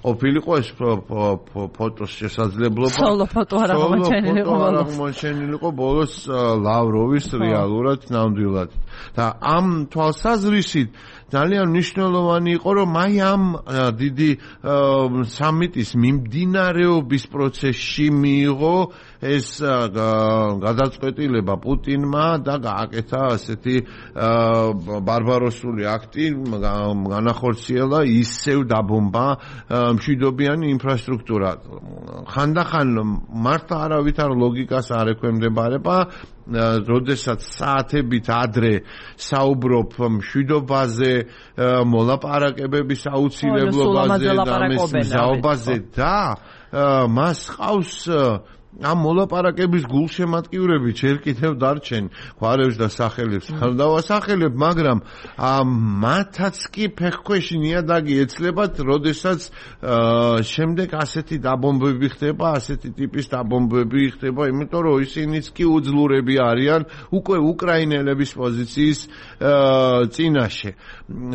[SPEAKER 2] ყოფილიყო ეს ფოტოს შესაძლებლობა.
[SPEAKER 1] სოლო ფოტო არ აღმოჩენილიყო
[SPEAKER 2] ბოლოს. არ აღმოჩენილიყო ბოლოს ლავროვის რეალურად ნამდვილად. და ამ თვალსაზრისით ძალიან მნიშვნელოვანი იყო, რომ აი ამ დიდი სამიტის მიმდინარეობის პროცესში მიიღო ეს გადაწყვეტილება პუტინმა და გააკეთა ასეთი ბარბაროსული აქტი, განახორციელა ისევ დაბომბა მშვიდობიანი ინფრასტრუქტურა. ხანდახან მართლა არავითარ ლოგიკას არ ექვემდებარება, როდესაც საათებით ადრე საუბრობ მშვიდობაზე, მოლაპარაკებების აუცილებლობაზე და მიზაობაზე და მას ყავს ამ მოლაპარაკების გულშემატკივრები ჯერ კიდევ დარჩენ გვარებს და სახელებს არ დავასახელებ, მაგრამ მათაც კი ფეხქვეში ნიადაგი ეცლებათ, როდესაც შემდეგ ასეთი დაბომბები ხდება, ასეთი ტიპის დაბომბები ხდება, იმიტომ რომ ისინიც კი უძლურები არიან უკვე უკრაინელების პოზიციის წინაშე.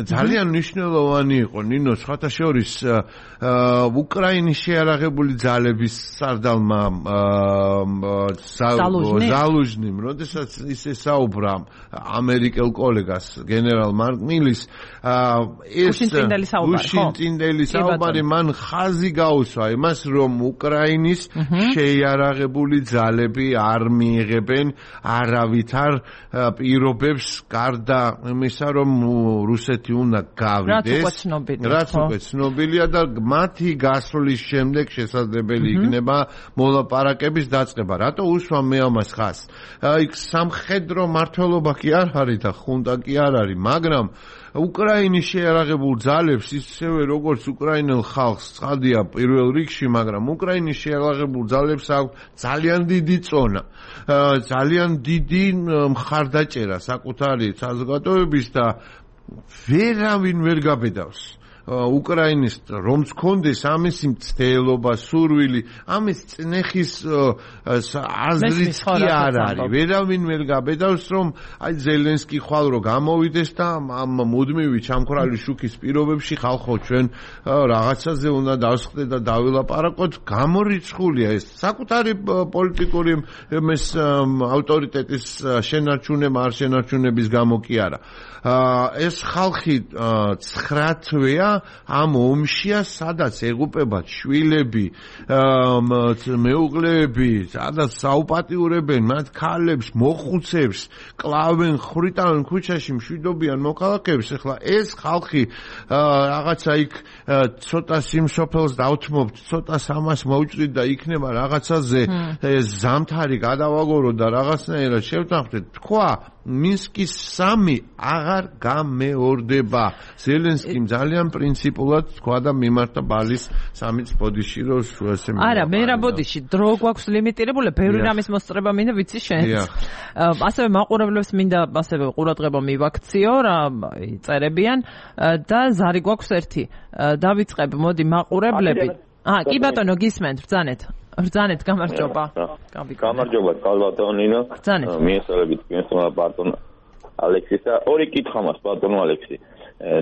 [SPEAKER 2] ძალიან მნიშვნელოვანი იყო ნინო სხვათა შორის უკრაინის შეიარაღებული ძალების სარდალმა ზალუჟნიმ, როდესაც ისე საუბრა ამერიკელ კოლეგას გენერალ მარკ მილის, ეს უშინტინდელი საუბარი მან ხაზი გაუსვა იმას, რომ უკრაინის შეიარაღებული ძალები არ მიიღებენ არავითარ პირობებს გარდა იმისა, რომ რუსეთი უნდა გავიდეს, რაც უკვე ცნობილია და მათი გასვლის შემდეგ შესაძლებელი იქნება მოლაპარაკების დაწყება. რატო უსვა მე ამას ხაზს? იქ სამხედრო მმართველობა კი არ არის და ხუნტა კი არ არის, მაგრამ უკრაინის შეიარაღებულ ძალებს ისევე როგორც უკრაინელ ხალხს ცხადია პირველ რიგში, მაგრამ უკრაინის შეიარაღებულ ძალებს აქვს ძალიან დიდი წონა, ძალიან დიდი მხარდაჭერა საკუთარი საზოგადოების და ვერავინ ვერ გაბედავს უკრაინის რომც კონდეს ამის მცდელობა, სურვილი, ამის წნეხის აზრიც კი არ არის. ვერავინ ვერ გაბედავს, რომ აი ზელენსკი ხვალ რო გამოვიდეს და ამ მუდმივი ჩამქრალი შუქის პირობებში ხალხო ჩვენ რაღაცაზე უნდა დავსხდე და დავილაპარაკოთ, გამორიცხულია ეს. საკუთარი პოლიტიკური ეს ავტორიტეტის შენარჩუნება არ შენარჩუნების გამო კი არა. ეს ხალხი ცხრა თვეა ამ ომშია, სადაც ეღუპებათ შვილები, მეუღლეები, სადაც საუპატიურებენ მათ ქალებს, მოხუცებს, კლავენ, ხვრიტავენ ქუჩაში მშვიდობიან მოქალაქეებს. ეხლა ეს ხალხი რაღაცა იქ ცოტა სიმსოფელს დავთმობთ, ცოტა სამას მოვჭრით და იქნება რაღაცაზე ზამთარი გადავაგორო და რაღაცნაირად შევთანხმდეთ. თქვა მინსკის სამი აღარ გამეორდება. ზელენსკიმ ძალიან პრინციპულად თქვა და მიმართა ბალის სამის ბოდიში, რომ ესე მე.
[SPEAKER 1] არა, მე რა ბოდიში, დრო გვაქვს ლიმიტირებული, ბევრი რამის მოსწრება მინდა ვიცი შენც. ასევე მაყურებლებს მინდა ასევე ყურადღება მივაქციო, რა წერებიან და ზარი გვაქვს ერთი. დავიწყებ, მოდი მაყურებლები. აა, კი ბატონო, გისმენთ, ბრძანეთ. ბრძანეთ, გამარჯობა.
[SPEAKER 4] გამარჯობა, კალბატონინო. მიესალმებით თქვენს ბატონ ალექსისა. ორი კითხვა მაქვს ბატონო ალექსი.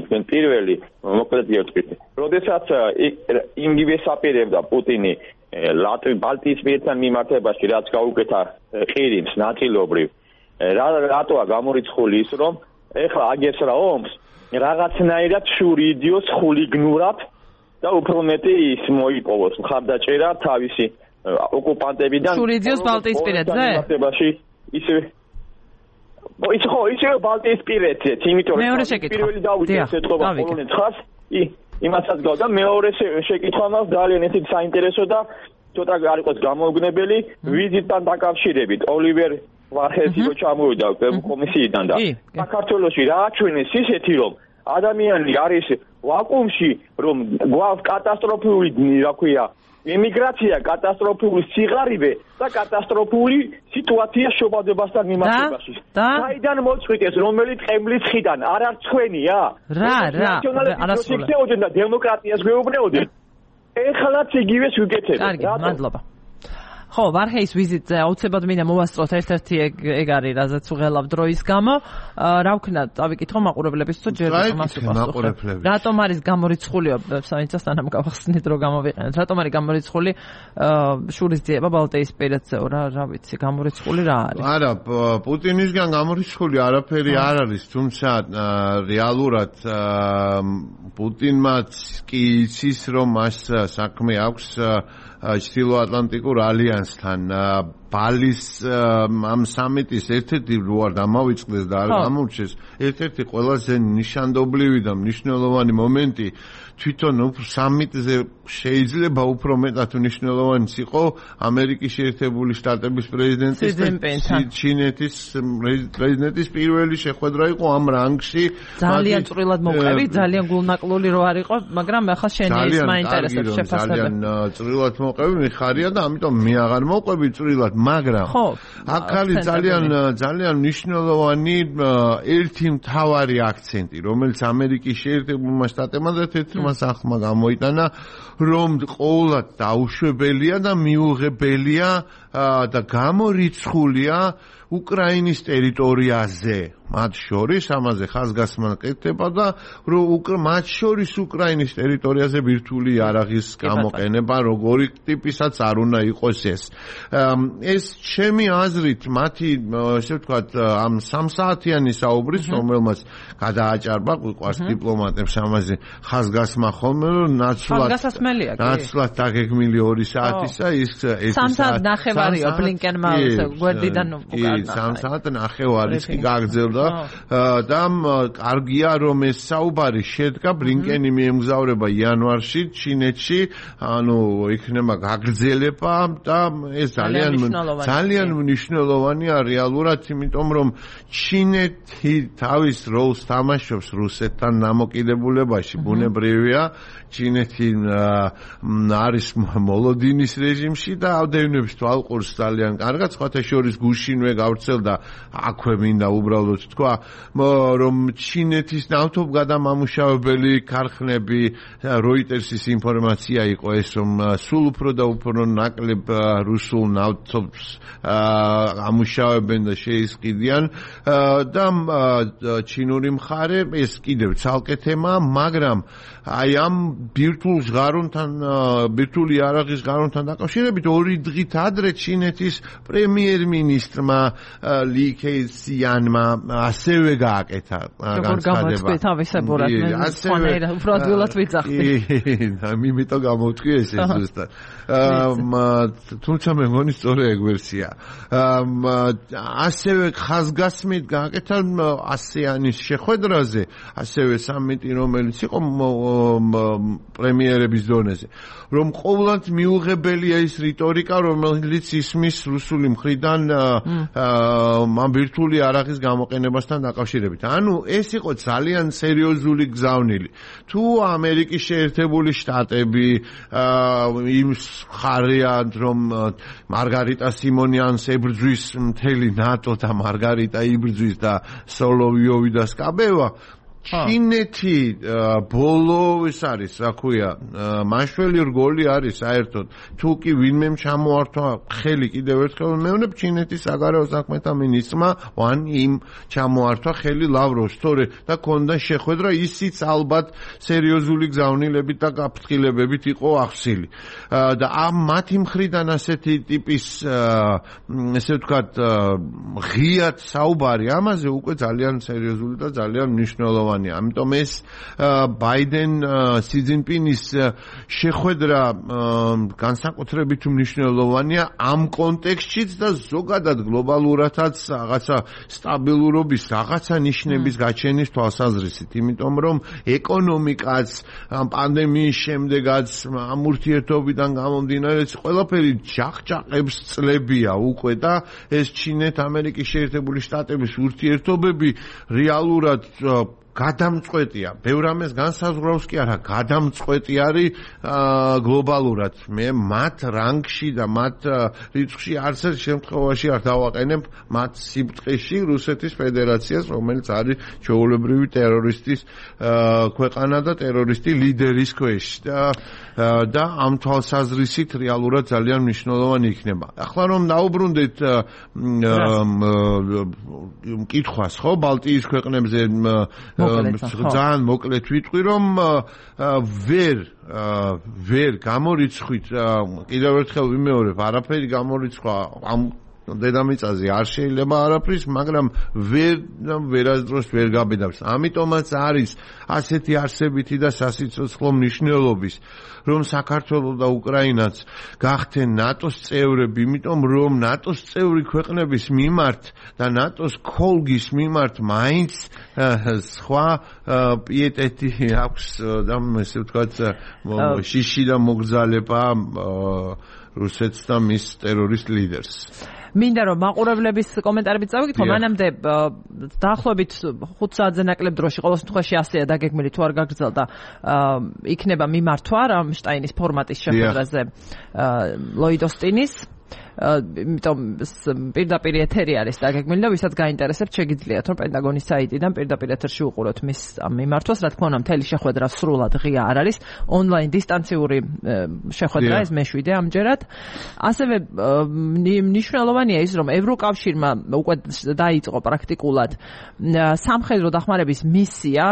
[SPEAKER 4] თქვენ პირველი მოკლედ გეტყვით. როდესაც იმგივე საპირებდა პუტინი ლატვი ბალტიის პირთან მიმართებაში, რაც გაუკეთა ყირიმს ნაწილობრივ, რატოა გამორიცხული ის, რომ ეხლა აგებს რა ომს, რაღაცნაირად შურიდიოს ხულიგნურად და უფრო მეტი ის მოიპოვოს მხარდაჭერა თავისი ოკუპანტებიდან.
[SPEAKER 1] შურიდიოს ბალტიისპირეთზე?
[SPEAKER 4] ისე ის ხო, ისე ბალტიისპირეთზე, იმიტომ რომ პირველი დაუჭერს ეთყობა პოლონეთს ხას, იმასაც გავდა, მეორე შეკითხვა მაქვს ძალიან ესეთი საინტერესო და ცოტა არ იყოს გამოუგნებელი ვიზიტთან დაკავშირებით. ოლივერ ვარხელსი რო ჩამოვიდა კომისიიდან და საქართველოში რა აჩვენეს ისეთი, რომ ადამიანი არის ვაკუუმში, რომ გვაქვს კატასტროფული, რა ქვია, იმიგრაცია, კატასტროფული სიღარიბე და კატასტროფული სიტუაცია შობადებასთან მიმართებაში. საიდან მოწყვიტეს, რომელი ტყემლის ხიდან, არ არ ცხვენია?
[SPEAKER 1] რა, რა,
[SPEAKER 4] არასწორად. და დემოკრატიას გვეუბნეოდნენ. ეხლაც იგივეს ვიკეთებთ.
[SPEAKER 1] კარგი, მადლობა. ხო, ვარჰეის ვიზიტზე აუცილებლად მინდა მოვასწროთ ერთ-ერთი ეგ არის, რაზეც უღელავ დროის გამო. რა ვქნა, წავიკითხო მაყურებლებს თუ ჯერ ამას უპასუხებ. რატომ არის გამორიცხული, საინცა სანამ გავახსნით რომ გამოვიყენოთ. რატომ არის გამორიცხული შურის ძიება ბალტიისპირეთზეო რა, რა ვიცი, გამორიცხული რა არის?
[SPEAKER 2] არა, პუტინისგან გამორიცხული არაფერი არ არის, თუმცა რეალურად პუტინმაც კი იცის რომ მას საქმე აქვს ჩრდილოატლანტიკურ ალიანსთან ბალის ამ სამიტის ერთ-ერთი რო არ დამავიწყდეს და არ გამორჩეს ერთ-ერთი ყველაზე ნიშანდობლივი და მნიშვნელოვანი მომენტი თვითონ სამიტზე შეიძლება უფრო მეტად მნიშვნელოვანიც იყო ამერიკის შეერთებული შტატების პრეზიდენტის და ჩინეთის პრეზიდენტის პირველი შეხვედრა იყო ამ რანგში
[SPEAKER 1] ძალიან წვრილად მოყვები ძალიან გულნაკლული რო არ იყო მაგრამ ახლა შენი ის მაინტერესებს შეფასება
[SPEAKER 2] ძალიან წვრილად მოყვები მიხარია და ამიტომ მე აღარ მოყვები წვრილად მაგრამ აქ არის ძალიან ძალიან მნიშვნელოვანი ერთი მთავარი აქცენტი რომელიც ამერიკის შეერთებულმა შტატებმა და თეთრმა სახმა გამოიტანა რომ ყოველად დაუშვებელია და მიუღებელია და გამორიცხულია უკრაინის ტერიტორიაზე მათ შორის ამაზე ხაზგასმა კეთდება და რომ მათ შორის უკრაინის ტერიტორიაზე ბირთვული იარაღის გამოყენება როგორი ტიპისაც არ უნდა იყოს ეს ეს ჩემი აზრით მათი ესე ვთქვათ ამ სამსაათიანი საუბრის რომელმაც გადააჭარბა ყვარს დიპლომატებს ამაზე ხაზგასმა ხოლმე რომ ნაცვლად ნაცვლად დაგეგმილი ორი საათისა ის ეს
[SPEAKER 1] სამ საათ ნახევარია ბლინკენმა გვერდიდან უკან
[SPEAKER 2] სამ საათ ნახევარიც კი გაგრძელდა და კარგია რომ ეს საუბარი შედგა ბლინკენი მიემგზავრება იანვარში ჩინეთში ანუ იქნება გაგრძელება და ეს ძალიან ძალიან მნიშვნელოვანია რეალურად იმიტომ რომ ჩინეთი თავის როლს თამაშობს რუსეთთან დამოკიდებულებაში ბუნებრივია ჩინეთი არის მოლოდინის რეჟიმში და ამდენებს თვალყურს ძალიან კარგად სხვათა შორის გუშინვე გავრცელდა აქვე მინდა უბრალოდ თქვა რომ ჩინეთის ნავთობგადამამუშავებელი ქარხნები როიტერსის ინფორმაცია იყო ეს რომ სულ უფრო და უფრო ნაკლებ რუსულ ნავთობს ამუშავებენ და შეისყიდიან და ჩინური მხარე ეს კიდევ ცალკე თემაა მაგრამ აი ამ ბირთვულ ჟღარონთან ბირთვული იარაღის ჟღარონთან დაკავშირებით ორი დღით ადრე ჩინეთის პრემიერ-მინისტრმა ალი ქეიციანმა ასევე გააკეთა განცხადება.
[SPEAKER 1] თავისებურად მე სხვანაირად უფრო ადვილად ვიძახდი.
[SPEAKER 2] და მიმიტომ გამოვთქვი ეს ზუსტად. თუმცა მე მგონი სწორი ეგ ვერსია. ასევე ხაზგასმით გააკეთა ასეანის შეხვედრაზე, ასევე სამიტი რომელიც იყო პრემიერების დონეზე. რომ ყოველად მიუღებელია ის რიტორიკა, რომელიც ისმის რუსული მხრიდან ამ ბირთვული იარაღის გამოყენებასთან დაკავშირებით. ანუ ეს იყო ძალიან სერიოზული გზავნილი. თუ ამერიკის შეერთებული შტატები იმ ხარიან რომ მარგარიტა სიმონიანს ებრძვის მთელი ნატო და მარგარიტა იბრძვის და სოლოვიოვი და სკაბევა ჩინეთი ბოლო ეს არის, რა ქვია, მაშველი რგოლი არის საერთოდ. თუ კი ვინმე ჩამოართვა ხელი კიდევ ერთხელ მეუბნებ ჩინეთის საგარეო საქმეთა მინისტრმა ვან იმ ჩამოართვა ხელი ლავროვს, თორე და ქონდა შეხვედრა ისიც ალბათ სერიოზული გზავნილებით და გაფრთხილებებით იყო ახსილი. და ამ მათი მხრიდან ასეთი ტიპის ესე ვთქვათ ღიად საუბარი ამაზე უკვე ძალიან სერიოზული და ძალიან მნიშვნელოვანი. ამიტომ ეს ბაიდენ სი ძინპინის შეხვედრა განსაკუთრებით მნიშვნელოვანია ამ კონტექსტშიც და ზოგადად გლობალურადაც რაღაცა სტაბილურობის რაღაცა ნიშნების გაჩენის თვალსაზრისით, იმიტომ რომ ეკონომიკაც პანდემიის შემდეგაც ამ ურთიერთობიდან გამომდინარე ყველაფერი ჯახჯაყებს წლებია უკვე და ეს ჩინეთ-ამერიკის შეერთებული შტატების ურთიერთობები რეალურად გადამწყვეტია. ბევრ ამას განსაზღვრავს კი არა, გადამწყვეტი არის გლობალურად. მე მათ რანგში და მათ რიცხვში არც ერთ შემთხვევაში არ დავაყენებ მათ სიბტყეში რუსეთის ფედერაციას, რომელიც არის ჩვეულებრივი ტერორისტის ქვეყანა და ტერორისტი ლიდერის ქვეშ და და ამ თვალსაზრისით რეალურად ძალიან მნიშვნელოვანი იქნება. ახლა რომ დაუბრუნდეთ მკითხვას, ხო, ბალტიის ქვეყნებზე ძალიან მოკლედ ვიტყვი, რომ ვერ ვერ გამორიცხვით, კიდევ ერთხელ ვიმეორებ, არაფერი გამორიცხვა ამ დედამიწაზე არ შეიძლება არაფრის, მაგრამ ვერ ვერასდროს ვერ გაბედავს. ამიტომაც არის ასეთი არსებითი და სასიცოცხლო მნიშვნელობის, რომ საქართველო და უკრაინაც გახდნენ ნატოს წევრები, იმიტომ რომ ნატოს წევრი ქვეყნების მიმართ და ნატოს ქოლგის მიმართ მაინც სხვა პიეტეტი აქვს და ესე ვთქვათ შიში და მოგზალება რუსეთს და მის ტერორისტ ლიდერს.
[SPEAKER 1] მინდა რომ მაყურებლების კომენტარებით წავიკითხო, მანამდე დაახლოებით ხუთ საათზე ნაკლებ დროში ყოველ შემთხვევაში ასეა დაგეგმილი, თუ არ გაგრძელდა იქნება მიმართვა რამშტაინის ფორმატის შეხვედრაზე ლოიდ ოსტინის, იმიტომ პირდაპირ ეთერი არის დაგეგმილი და ვისაც გაინტერესებთ შეგიძლიათ რომ პენტაგონის საიტიდან პირდაპირ ეთერში უყუროთ მის მიმართვას, რა თქმა უნდა მთელი შეხვედრა სრულად ღია არ არის, ონლაინ დისტანციური შეხვედრა ეს მეშვიდე ამჯერად. ასევე მნიშვნელოვანია ის, რომ ევროკავშირმა უკვე დაიწყო პრაქტიკულად სამხედრო დახმარების მისია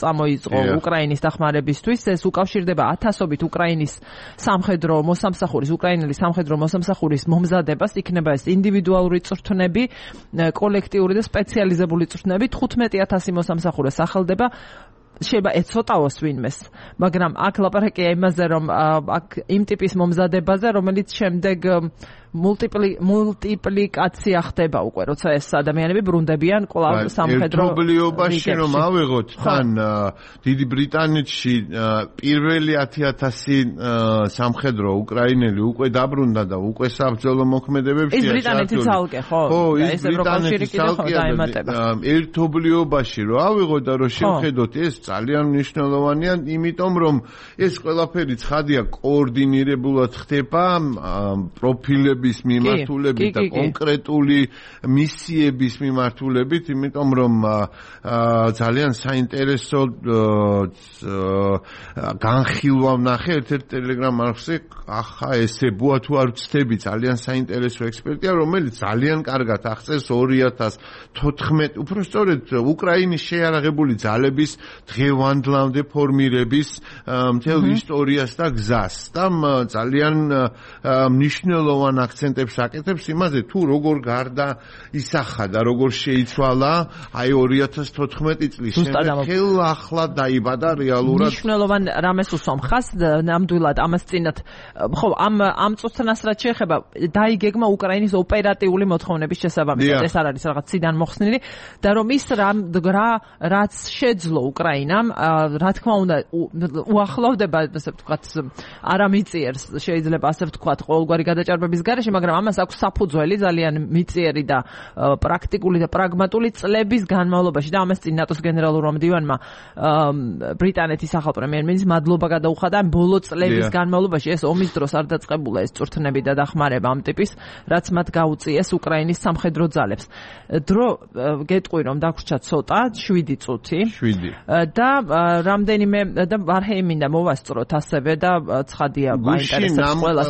[SPEAKER 1] წამოიწყო უკრაინის დახმარებისთვის. ეს უკავშირდება ათასობით უკრაინის სამხედრო მოსამსახურის, უკრაინელი სამხედრო მოსამსახურის მომზადებას, იქნება ეს ინდივიდუალური წვრთნები, კოლექტიური და სპეციალიზებული წვრთნები, თხუთმეტი ათასი მოსამსახურეს ახალდება. შეიძლება ეცოტაოს ვინმეს, მაგრამ აქ ლაპარაკია იმაზე, რომ აქ იმ ტიპის მომზადებაზე, რომელიც შემდეგ მულტიპლიკაცია ხდება უკვე, როცა ეს ადამიანები ბრუნდებიან კვლავ სამხედრო
[SPEAKER 2] ერთობლიობაში რომ ავიღოთ, თან დიდი ბრიტანეთში პირველი ათი ათასი სამხედრო უკრაინელი უკვე დაბრუნდა და უკვე საბრძოლო მოქმედებებში
[SPEAKER 1] ის ბრიტანეთის ალკე, ხო?
[SPEAKER 2] ხო, ეს ბრიტანეთის ალკე ერთობლიობაში რომ ავიღოთ და რომ შევხედოთ, ეს ძალიან მნიშვნელოვანია, იმიტომ რომ ეს ყველაფერი ცხადია კოორდინირებულად ხდება პროფილები მიმართულებით და კონკრეტული მისიების მიმართულებით, იმიტომ რომ ძალიან საინტერესო განხილვა ვნახე ერთ-ერთ ტელეგრამ არხზე, ახლა ესე ბუა თუ არ ვცდები, ძალიან საინტერესო ექსპერტია, რომელიც ძალიან კარგად აღწერს ორი ათას თოთხმეტი, უბრალოდ უკრაინის შეიარაღებული ძალების დღევანდლამდე ფორმირების მთელ ისტორიას და გზას და ძალიან მნიშვნელოვან აქცენტებს აკეთებს იმაზე, თუ როგორ გარდა ისახა და როგორ შეიცვალა აი ორი ათას თოთხმეტი წლის შემდგელ ახლა დაიბადა რეალურად.
[SPEAKER 1] მნიშვნელოვან რამეს უსვამ ხას, ნამდვილად ამას წინათ, ხო, ამ ამ წუთნას რაც შეეხება, დაიგეგმა უკრაინის ოპერატიული მოთხოვნების შესაბამისად, ეს არ არის რაღაც ციდან მოხსნილი და რომ ის რა რაც შეძლო უკრაინამ, რა თქმა უნდა, უახლოვდება, ასე ვთქვათ, არამიწიერს, შეიძლება ასე ვთქვათ, ყოველგვარი გადაჭარბების გარეშე, მაგრამ ამას აქვს საფუძველი ძალიან მიწიერი და პრაქტიკული და პრაგმატული წლების განმავლობაში და ამას წინ ნატოს გენერალურმა მდივანმა ბრიტანეთის ახალ პრემიერ-მინისტრს მადლობა გადაუხადა ბოლო წლების განმავლობაში. ეს ომის დროს არ დაწყებულა ეს წვრთნები და დახმარება ამ ტიპის, რაც მათ გაუწიეს უკრაინის სამხედრო ძალებს. დრო გეტყვი რომ დაგვრჩა ცოტა, შვიდი წუთი.
[SPEAKER 2] შვიდი.
[SPEAKER 1] და რამდენიმე და ვარჰეიმინდა მოვასწროთ ასევე და ცხადია მაინტერესებს ყველას.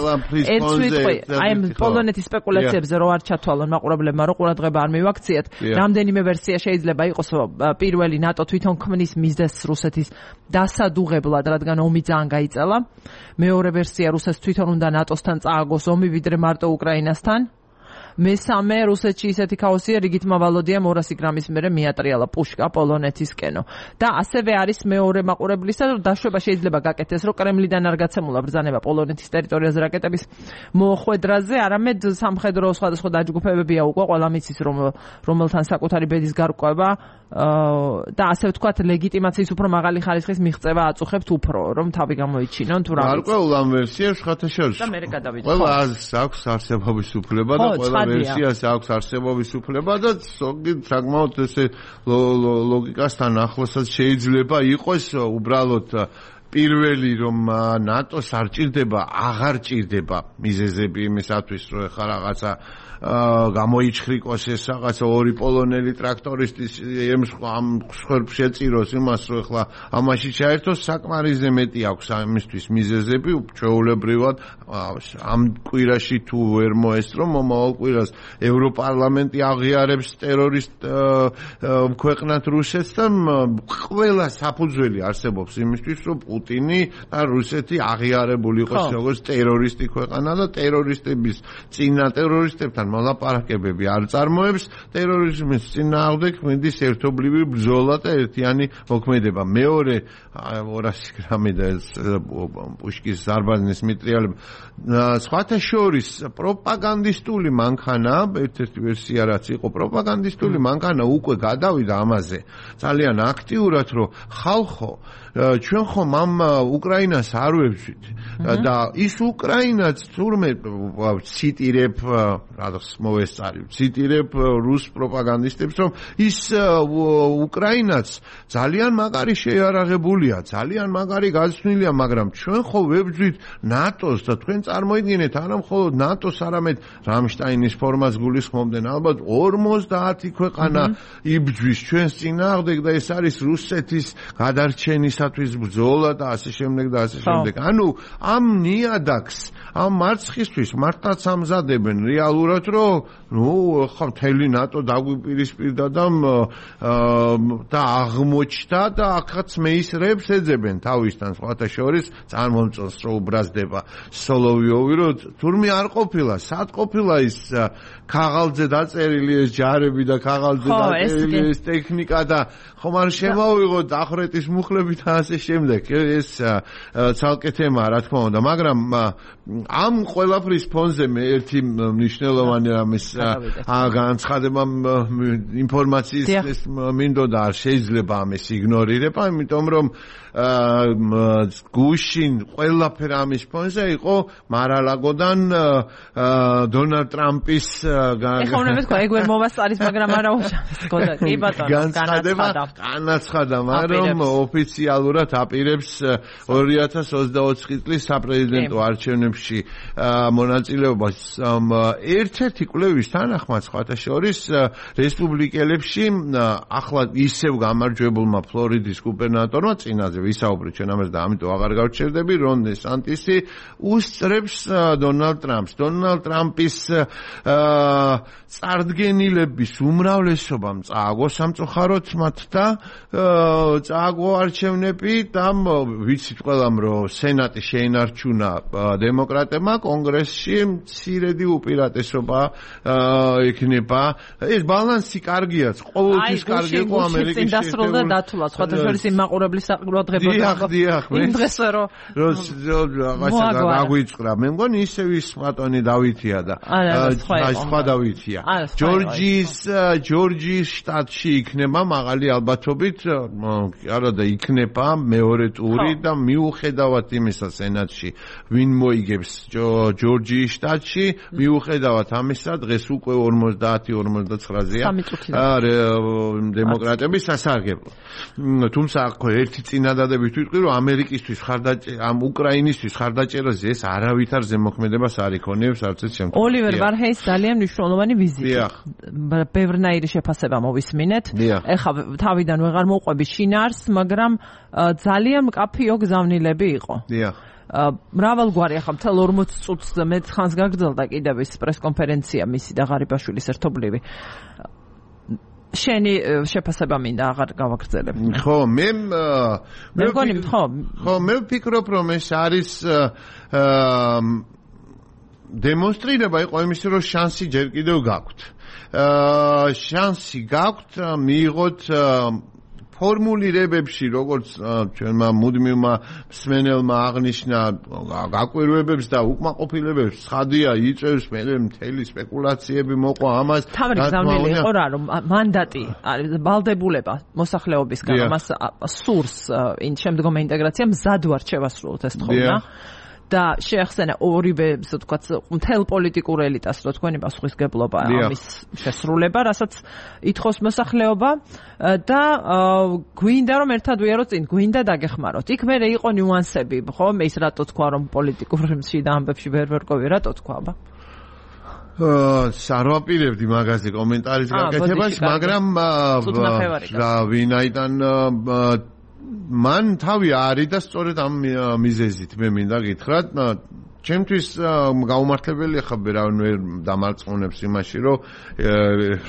[SPEAKER 1] ერთ სიტყვი, აი პოლონეთის სპეკულაციებზე რო არ ჩათვალონ მაყურებლებმა, რო ყურადღება არ მივაქციეთ, რამდენიმე ვერსია შეიძლება იყოს, პირველი ნატო თვითონ ქმნის მიზეზს რუსეთის დასადუღებლად, რადგან ომი ძალიან გაიწელა. მეორე ვერსია, რუსეთს თვითონ უნდა ნატოსთან წააგოს ომი, ვიდრე მარტო უკრაინასთან. მესამე, რუსეთში ისეთი ქაოსია, რიგით მავალოდია ორასი გრამის მერე მიატრიალა პუშკა პოლონეთისკენო. და ასევე არის მეორე მაყურებლისა, რომ დაშვება შეიძლება გაკეთდეს, რომ კრემლიდან არ გაცემულა ბრძანება პოლონეთის ტერიტორიაზე რაკეტების მოხვედრაზე, არამედ სამხედრო სხვადასხვა დაჯგუფებებია უკვე, ყველა მიცის, რომ რომელთან საკუთარი ბედის გარკვევა და ასე ვთქვათ ლეგიტიმაციის უფრო მაღალი ხარისხის მიღწევა აწუხებთ უფრო რომ თავი გამოიჩინონ თუ რა ვიცი.
[SPEAKER 2] გარკვეულ ამ ვერსიას ხათაშორს.
[SPEAKER 1] და მე გადავიდე.
[SPEAKER 2] ყველა აქვს არსებობის უფლება და ყველა ვერსიას აქვს არსებობის უფლება და საკმაოდ ესე ლოგიკასთან ახლოსაც შეიძლება იყოს უბრალოდ პირველი რომ ნატოს არ ჭირდება, აღარ ჭირდება მიზეზები იმისათვის რომ ეხლა რაღაცა გამოიჩხრიკოს ეს რაღაცა ორი პოლონელი ტრაქტორისტის ამ ხერხს შეწიროს იმას რომ ეხლა ამაში ჩაერთოს საკმარისზე მეტი აქვს ამისთვის მიზეზები ჩვეულებრივად ამ კვირაში თუ ვერ მოესწრო მომავალ კვირას ევროპარლამენტი აღიარებს ტერორისტ ქვეყნად რუსეთს და ყველა საფუძველი არსებობს იმისთვის რომ პუტინი და რუსეთი აღიარებული იყოს როგორც ტერორისტი ქვეყანა და ტერორისტების წინა ტერორისტებთან მოლაპარაკებები არ წარმოებს ტერორიზმის წინააღმდეგ მინდის ერთობლივი ბრძოლა და ერთიანი მოქმედება. მეორე ორასი გრამი და პუშკის ზარბაზნის მიტრიალება სხვათა შორის პროპაგანდისტული მანქანა ერთ-ერთი ვერსია რაც იყო პროპაგანდისტული მანქანა უკვე გადავიდა ამაზე ძალიან აქტიურად რომ ხალხო ჩვენ ხომ ამ უკრაინას არ ვებძვით და ის უკრაინაც თურმე ციტირებ რაღაც მოვესწარი ციტირებ რუს პროპაგანდისტებს რომ ის უკრაინაც ძალიან მაგარი შეიარაღებულია ძალიან მაგარი გაცნილია მაგრამ ჩვენ ხო ვებძვით ნატოს და თქვენ წარმოიდგინეთ არა მხოლოდ ნატოს არამედ რამშტაინის ფორმას გულისხმობდნენ ალბათ ორმოცდაათი ქვეყანა იბძვის ჩვენს წინააღმდეგ და ეს არის რუსეთის გადარჩენისათვის ბრძოლა და ასე შემდეგ და ასე შემდეგ. ანუ ამ ნიადაგს ამ მარცხისთვის მართლაც ამზადებენ რეალურად რომ ნუ ხა მთელი ნატო დაგვიპირისპირდა და და აღმოჩნდა და ახაც მეისრებს ეძებენ თავისთან სხვათა შორის წარმომწონს რომ უბრაზდება სოლოვიოვი რომ თურმე არ ყოფილა სად ყოფილა ის ქაღალდზე დაწერილი ეს ჯარები და ქაღალდზე დაწერილი ეს ტექნიკა და ხომ არ შემოვიღოთ ახრეთის მუხლები და ასე შემდეგ ეს ცალკე თემაა რა თქმა უნდა მაგრამ ამ ყველაფრის ფონზე მე ერთი მნიშვნელოვანი რამის განცხადება ინფორმაციის ეს მინდოდა არ შეიძლება ამის იგნორირება იმიტომ რომ გუშინ ყველაფერ ამის ფონზე იყო მარალაგოდან დონალდ ტრამპის
[SPEAKER 1] ეხლა უნდა ვთქვა ეგ ვერ მოვასწარის მაგრამ არა უშავსკოდა კი ბატონო
[SPEAKER 2] განცხადება განაცხადა მაგრამ ოფიციალურად აპირებს ორი ათას ოცდაოთხი წლის საპრეზიდენტო არჩევნებში მონაწილეობას ერთ-ერთი კვლევის თანახმად სხვათა შორის რესპუბლიკელებში ახლა ისევ გამარჯვებულმა ფლორიდის გუბერნატორმა წინაზე ვისაუბრეთ ჩვენ ამაზე და ამიტომ აღარ გავჩერდები რონ დესანტისი უსწრებს დონალდ ტრამპს დონალდ ტრამპის წარდგენილების უმრავლესობამ წააგო სამწუხაროდ მათ და წააგო არჩევნები და ვიცით ყველამ რომ სენატი შეინარჩუნა დემოკრატებმა კონგრესში მცირედი უპირატესობა ექნება ეს ბალანსი კარგიაც ყოველთვის კარგი იყო ამერიკის
[SPEAKER 1] წინ დასრულდა დათულა სხვათა შორის იმ მაყურებლის საყურადღებო იმ დღეს რომ
[SPEAKER 2] რაღაცა გაგვიწყრა მე მგონი ისევ ის ბატონი დავითია და სხვა დავითია ჯორჯიის ჯორჯიის შტატში იქნება მაღალი ალბათობით არა და იქნება მეორე ტური და მიუხედავად იმისა სენატში ვინ მოიგებს ჯორჯიის შტატში მიუხედავად ამისა დღეს უკვე ორმოცდაათი ორმოცდაცხრაზეა დემოკრატების სასარგებლო თუმცა ხო ერთი წინადადებით ვიტყვი რომ ამერიკისთვის ხარდაჭერა ამ უკრაინისთვის ხარდაჭერაზე ეს არავითარ ზემოქმედებას არ იქონიებს არც ეს შემთხვევაში
[SPEAKER 1] ოლივერ ვარჰეის ძალიან მნიშვნელოვანი ვიზიტი ბევრნაირი შეფასება მოვისმინეთ ეხლა თავიდან ვეღარ მოყვები შინაარს მაგრამ ძალიან მკაფიო გზავნილები იყო დიახ მრავალგვარი ახლა მთელ ორმოც წუთს მეტ ხანს გაგრძელდა კიდევ ის პრესკონფერენცია მისი და ღარიბაშვილის ერთობლივი შენი შეფასება მინდა აღარ გავაგრძელებ
[SPEAKER 2] ხო მე
[SPEAKER 1] მე მგონი ხო
[SPEAKER 2] ხო მე ვფიქრობ რომ ეს არის დემონსტრირება იყო იმისი რომ შანსი ჯერ კიდევ გაქვთ შანსი გაქვთ მიიღოთ ფორმულირებებში, როგორც ჩვენმა მუდმივმა მსმენელმა აღნიშნა, გაკვირვებებს და უკმაყოფილებებს ცხადია იწევს მე მთელი სპეკულაციები მოყვა ამას.
[SPEAKER 1] თავი გზავნილი იყო რა, რომ მანდატი არის ვალდებულება მოსახლეობისგან, მას სურს იმ შემდგომი ინტეგრაცია მზად ვარ შევასრულოთ ეს თხოვნა. და შეახსენა ორივე, ასე ვთქვათ, მთელ პოლიტიკურ ელიტას, რო თქვენი პასუხისგებლობა ამის შესრულება, რასაც ითხოვს მოსახლეობა და გვინდა რომ ერთად ვიაროთ წინ, გვინდა დაგეხმაროთ. იქ მერე იყო ნიუანსები, ხო? მე ის რატო თქვა რომ პოლიტიკურში და ამბებში ვერ ვერკოვი, რატო თქვა, აბა?
[SPEAKER 2] აა, სარვაპირებდი მაგაზე კომენტარის გაკეთებას, მაგრამ რა ვინაიდან მან თავი არის და სწორედ ამ მიზეზით მე მინდა გითხრათ, ჩემთვის გაუმართლებელი ხა ვერავინ ვერ დამარწმუნებს იმაში, რომ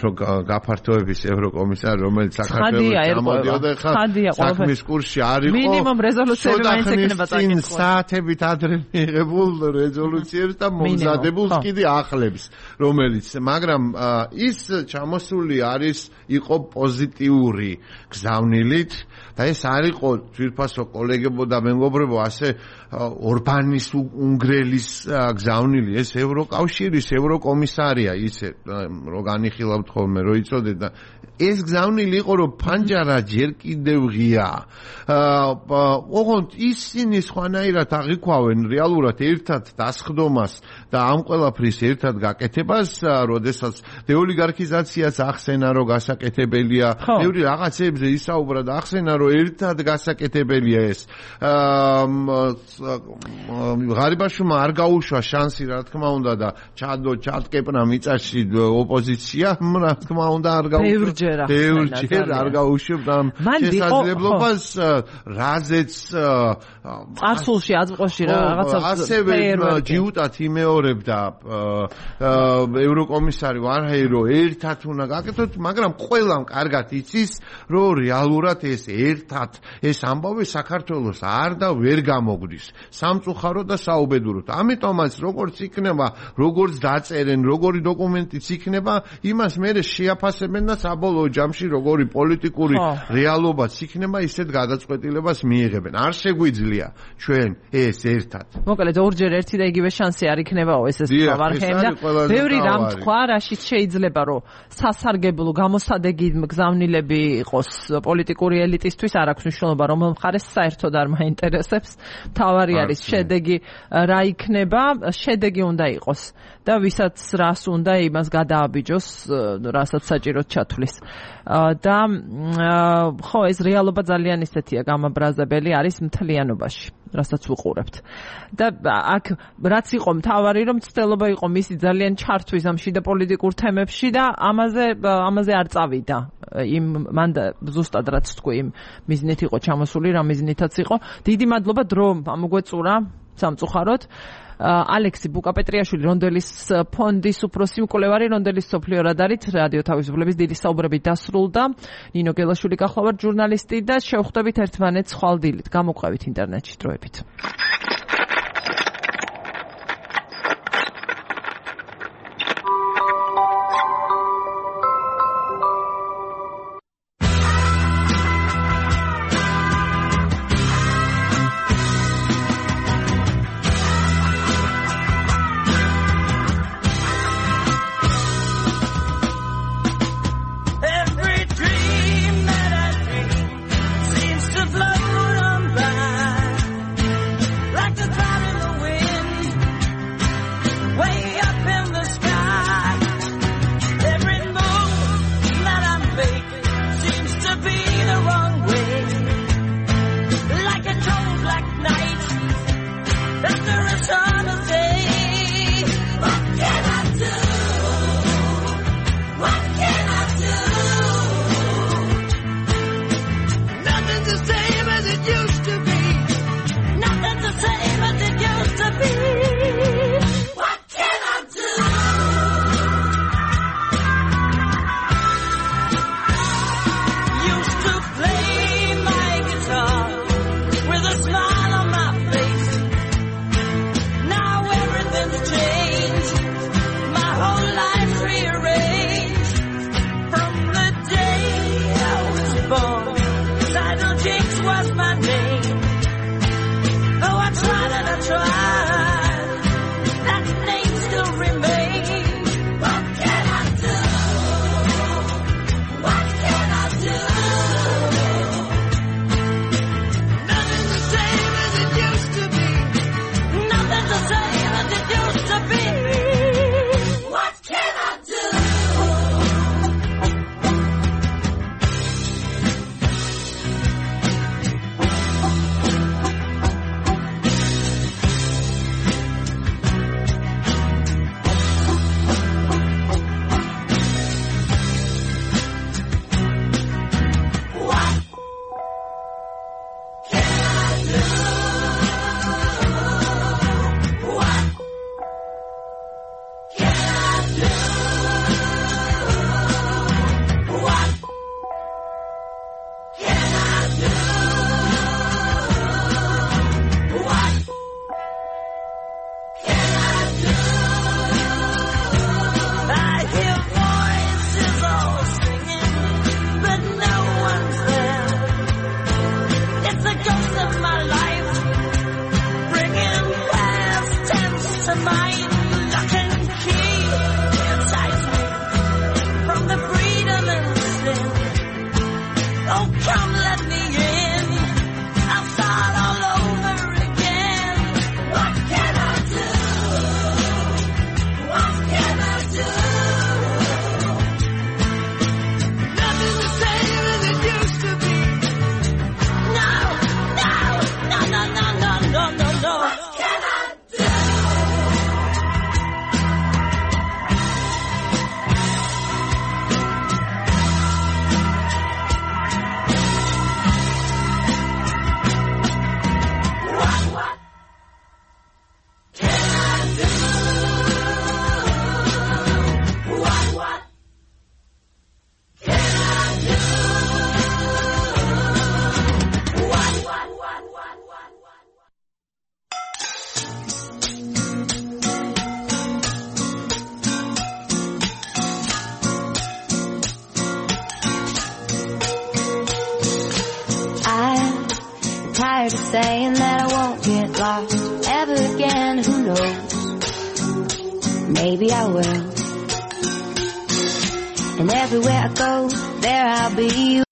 [SPEAKER 2] რომ გაფართოების ევროკომისარი, რომელიც საქართველოს გამოდიოდა, ხა საქმის კურსში არ იყო.
[SPEAKER 1] მინიმუმ რეზოლუციები მაინც ექნება წაკითხვა.
[SPEAKER 2] საათებით ადრე მიიღებულ რეზოლუციებს და მომზადებულ კიდე ახლებს, რომელიც, მაგრამ ის ჩამოსული არის იყო პოზიტიური გზავნილით და ეს არ იყო ძვირფასო კოლეგებო და მეგობრებო, ასე ორბანის უნგრელის გზავნილი, ეს ევროკავშირის ევროკომისარია, ისე რო განიხილავთ ხოლმე, რო იწოდეთ და ეს გზავნილი იყო, რომ ფანჯარა ჯერ კიდევ ღია. ოღონდ ისინი სხვანაირად აღიქვავენ რეალურად ერთად დასხდომას და ამ ყველაფრის ერთად გაკეთებას, როდესაც დეოლიგარქიზაციაც ახსენა, რომ გასაკეთებელია, ბევრი რაღაცებზე ისაუბრა და ახსენა, რომ ერთად გასაკეთებელია ეს. ღარიბაშვილმა არ გაუშვა შანსი, რა თქმა უნდა, და ჩადო ჩატკეპნა მიწაში ოპოზიცია, რა თქმა უნდა, არ გაუშვა. ბევრჯერ არ გაუშვებდა შესაძლებლობას, რაზეც
[SPEAKER 1] წარსულში აწმყოში რაღაცა
[SPEAKER 2] ასევე ჯიუტად იმეორებდა ევროკომისარი ვარჰეირო, ერთად უნდა გაკეთოთ, მაგრამ ყველამ კარგად იცის, რომ რეალურად ეს ერთად ეს ამბავი საქართველოს არ და ვერ გამოგვდის სამწუხაროდ და საუბედუროდ. ამიტომაც როგორც იქნება, როგორც დაწერენ, როგორი დოკუმენტიც იქნება, იმას მერე შეაფასებენ და საბოლოო ჯამში როგორი პოლიტიკური რეალობაც იქნება, ისეთ გადაწყვეტილებას მიიღებენ. არ შეგვიძლია ჩვენ ეს ერთად.
[SPEAKER 1] მოკლედ ორჯერ ერთი და იგივე შანსი არ იქნებაო, ეს ეს ვარჰეიმ და ბევრი რამ თქვა, რაშიც შეიძლება რომ სასარგებლო გამოსადეგი გზავნილები იყოს პოლიტიკური ელიტისთვის, არ აქვს მნიშვნელობა რომელ მხარეს საერთოდ არ მაინტერესებს. თავარი არის შედეგი რა იქნება, შედეგი უნდა იყოს და ვისაც რას უნდა იმას გადააბიჯოს, რასაც საჭიროდ ჩათვლის. და ხო, ეს რეალობა ძალიან ისეთია გამაბრაზებელი არის მთლიანობაში, რასაც ვუყურებთ. და აქ რაც იყო მთავარი, რომ ცდილობა იყო მისი ძალიან ჩართვის ამ შიდა პოლიტიკურ თემებში და ამაზე ამაზე არ წავიდა. იმ მან ზუსტად რაც თქვი, იმ მიზნით იყო ჩამოსული, რა მიზნითაც იყო. დიდი მადლობა დრო ამოგვეწურა სამწუხაროდ. ალექსი ბუკაპეტრიაშვილი, რონდელის ფონდის უფროსი მკვლევარი, რონდელის სოფლიო რადარით რადიო თავისუფლების დიდი საუბრები დასრულდა. ნინო გელაშვილი გახლავართ ჟურნალისტი და შევხვდებით ერთმანეთს ხვალ დილით. გამოყვებით ინტერნეტში დროებით.
[SPEAKER 5] Oh, come let me in. I'll start all over again. What can I do? What can I do? Nothing the same as it used to be. No, no, no, no, no, no, no, no, no. What can I do? Tired of saying that I won't get lost ever again. Who knows? Maybe I will. And everywhere I go, there I'll be.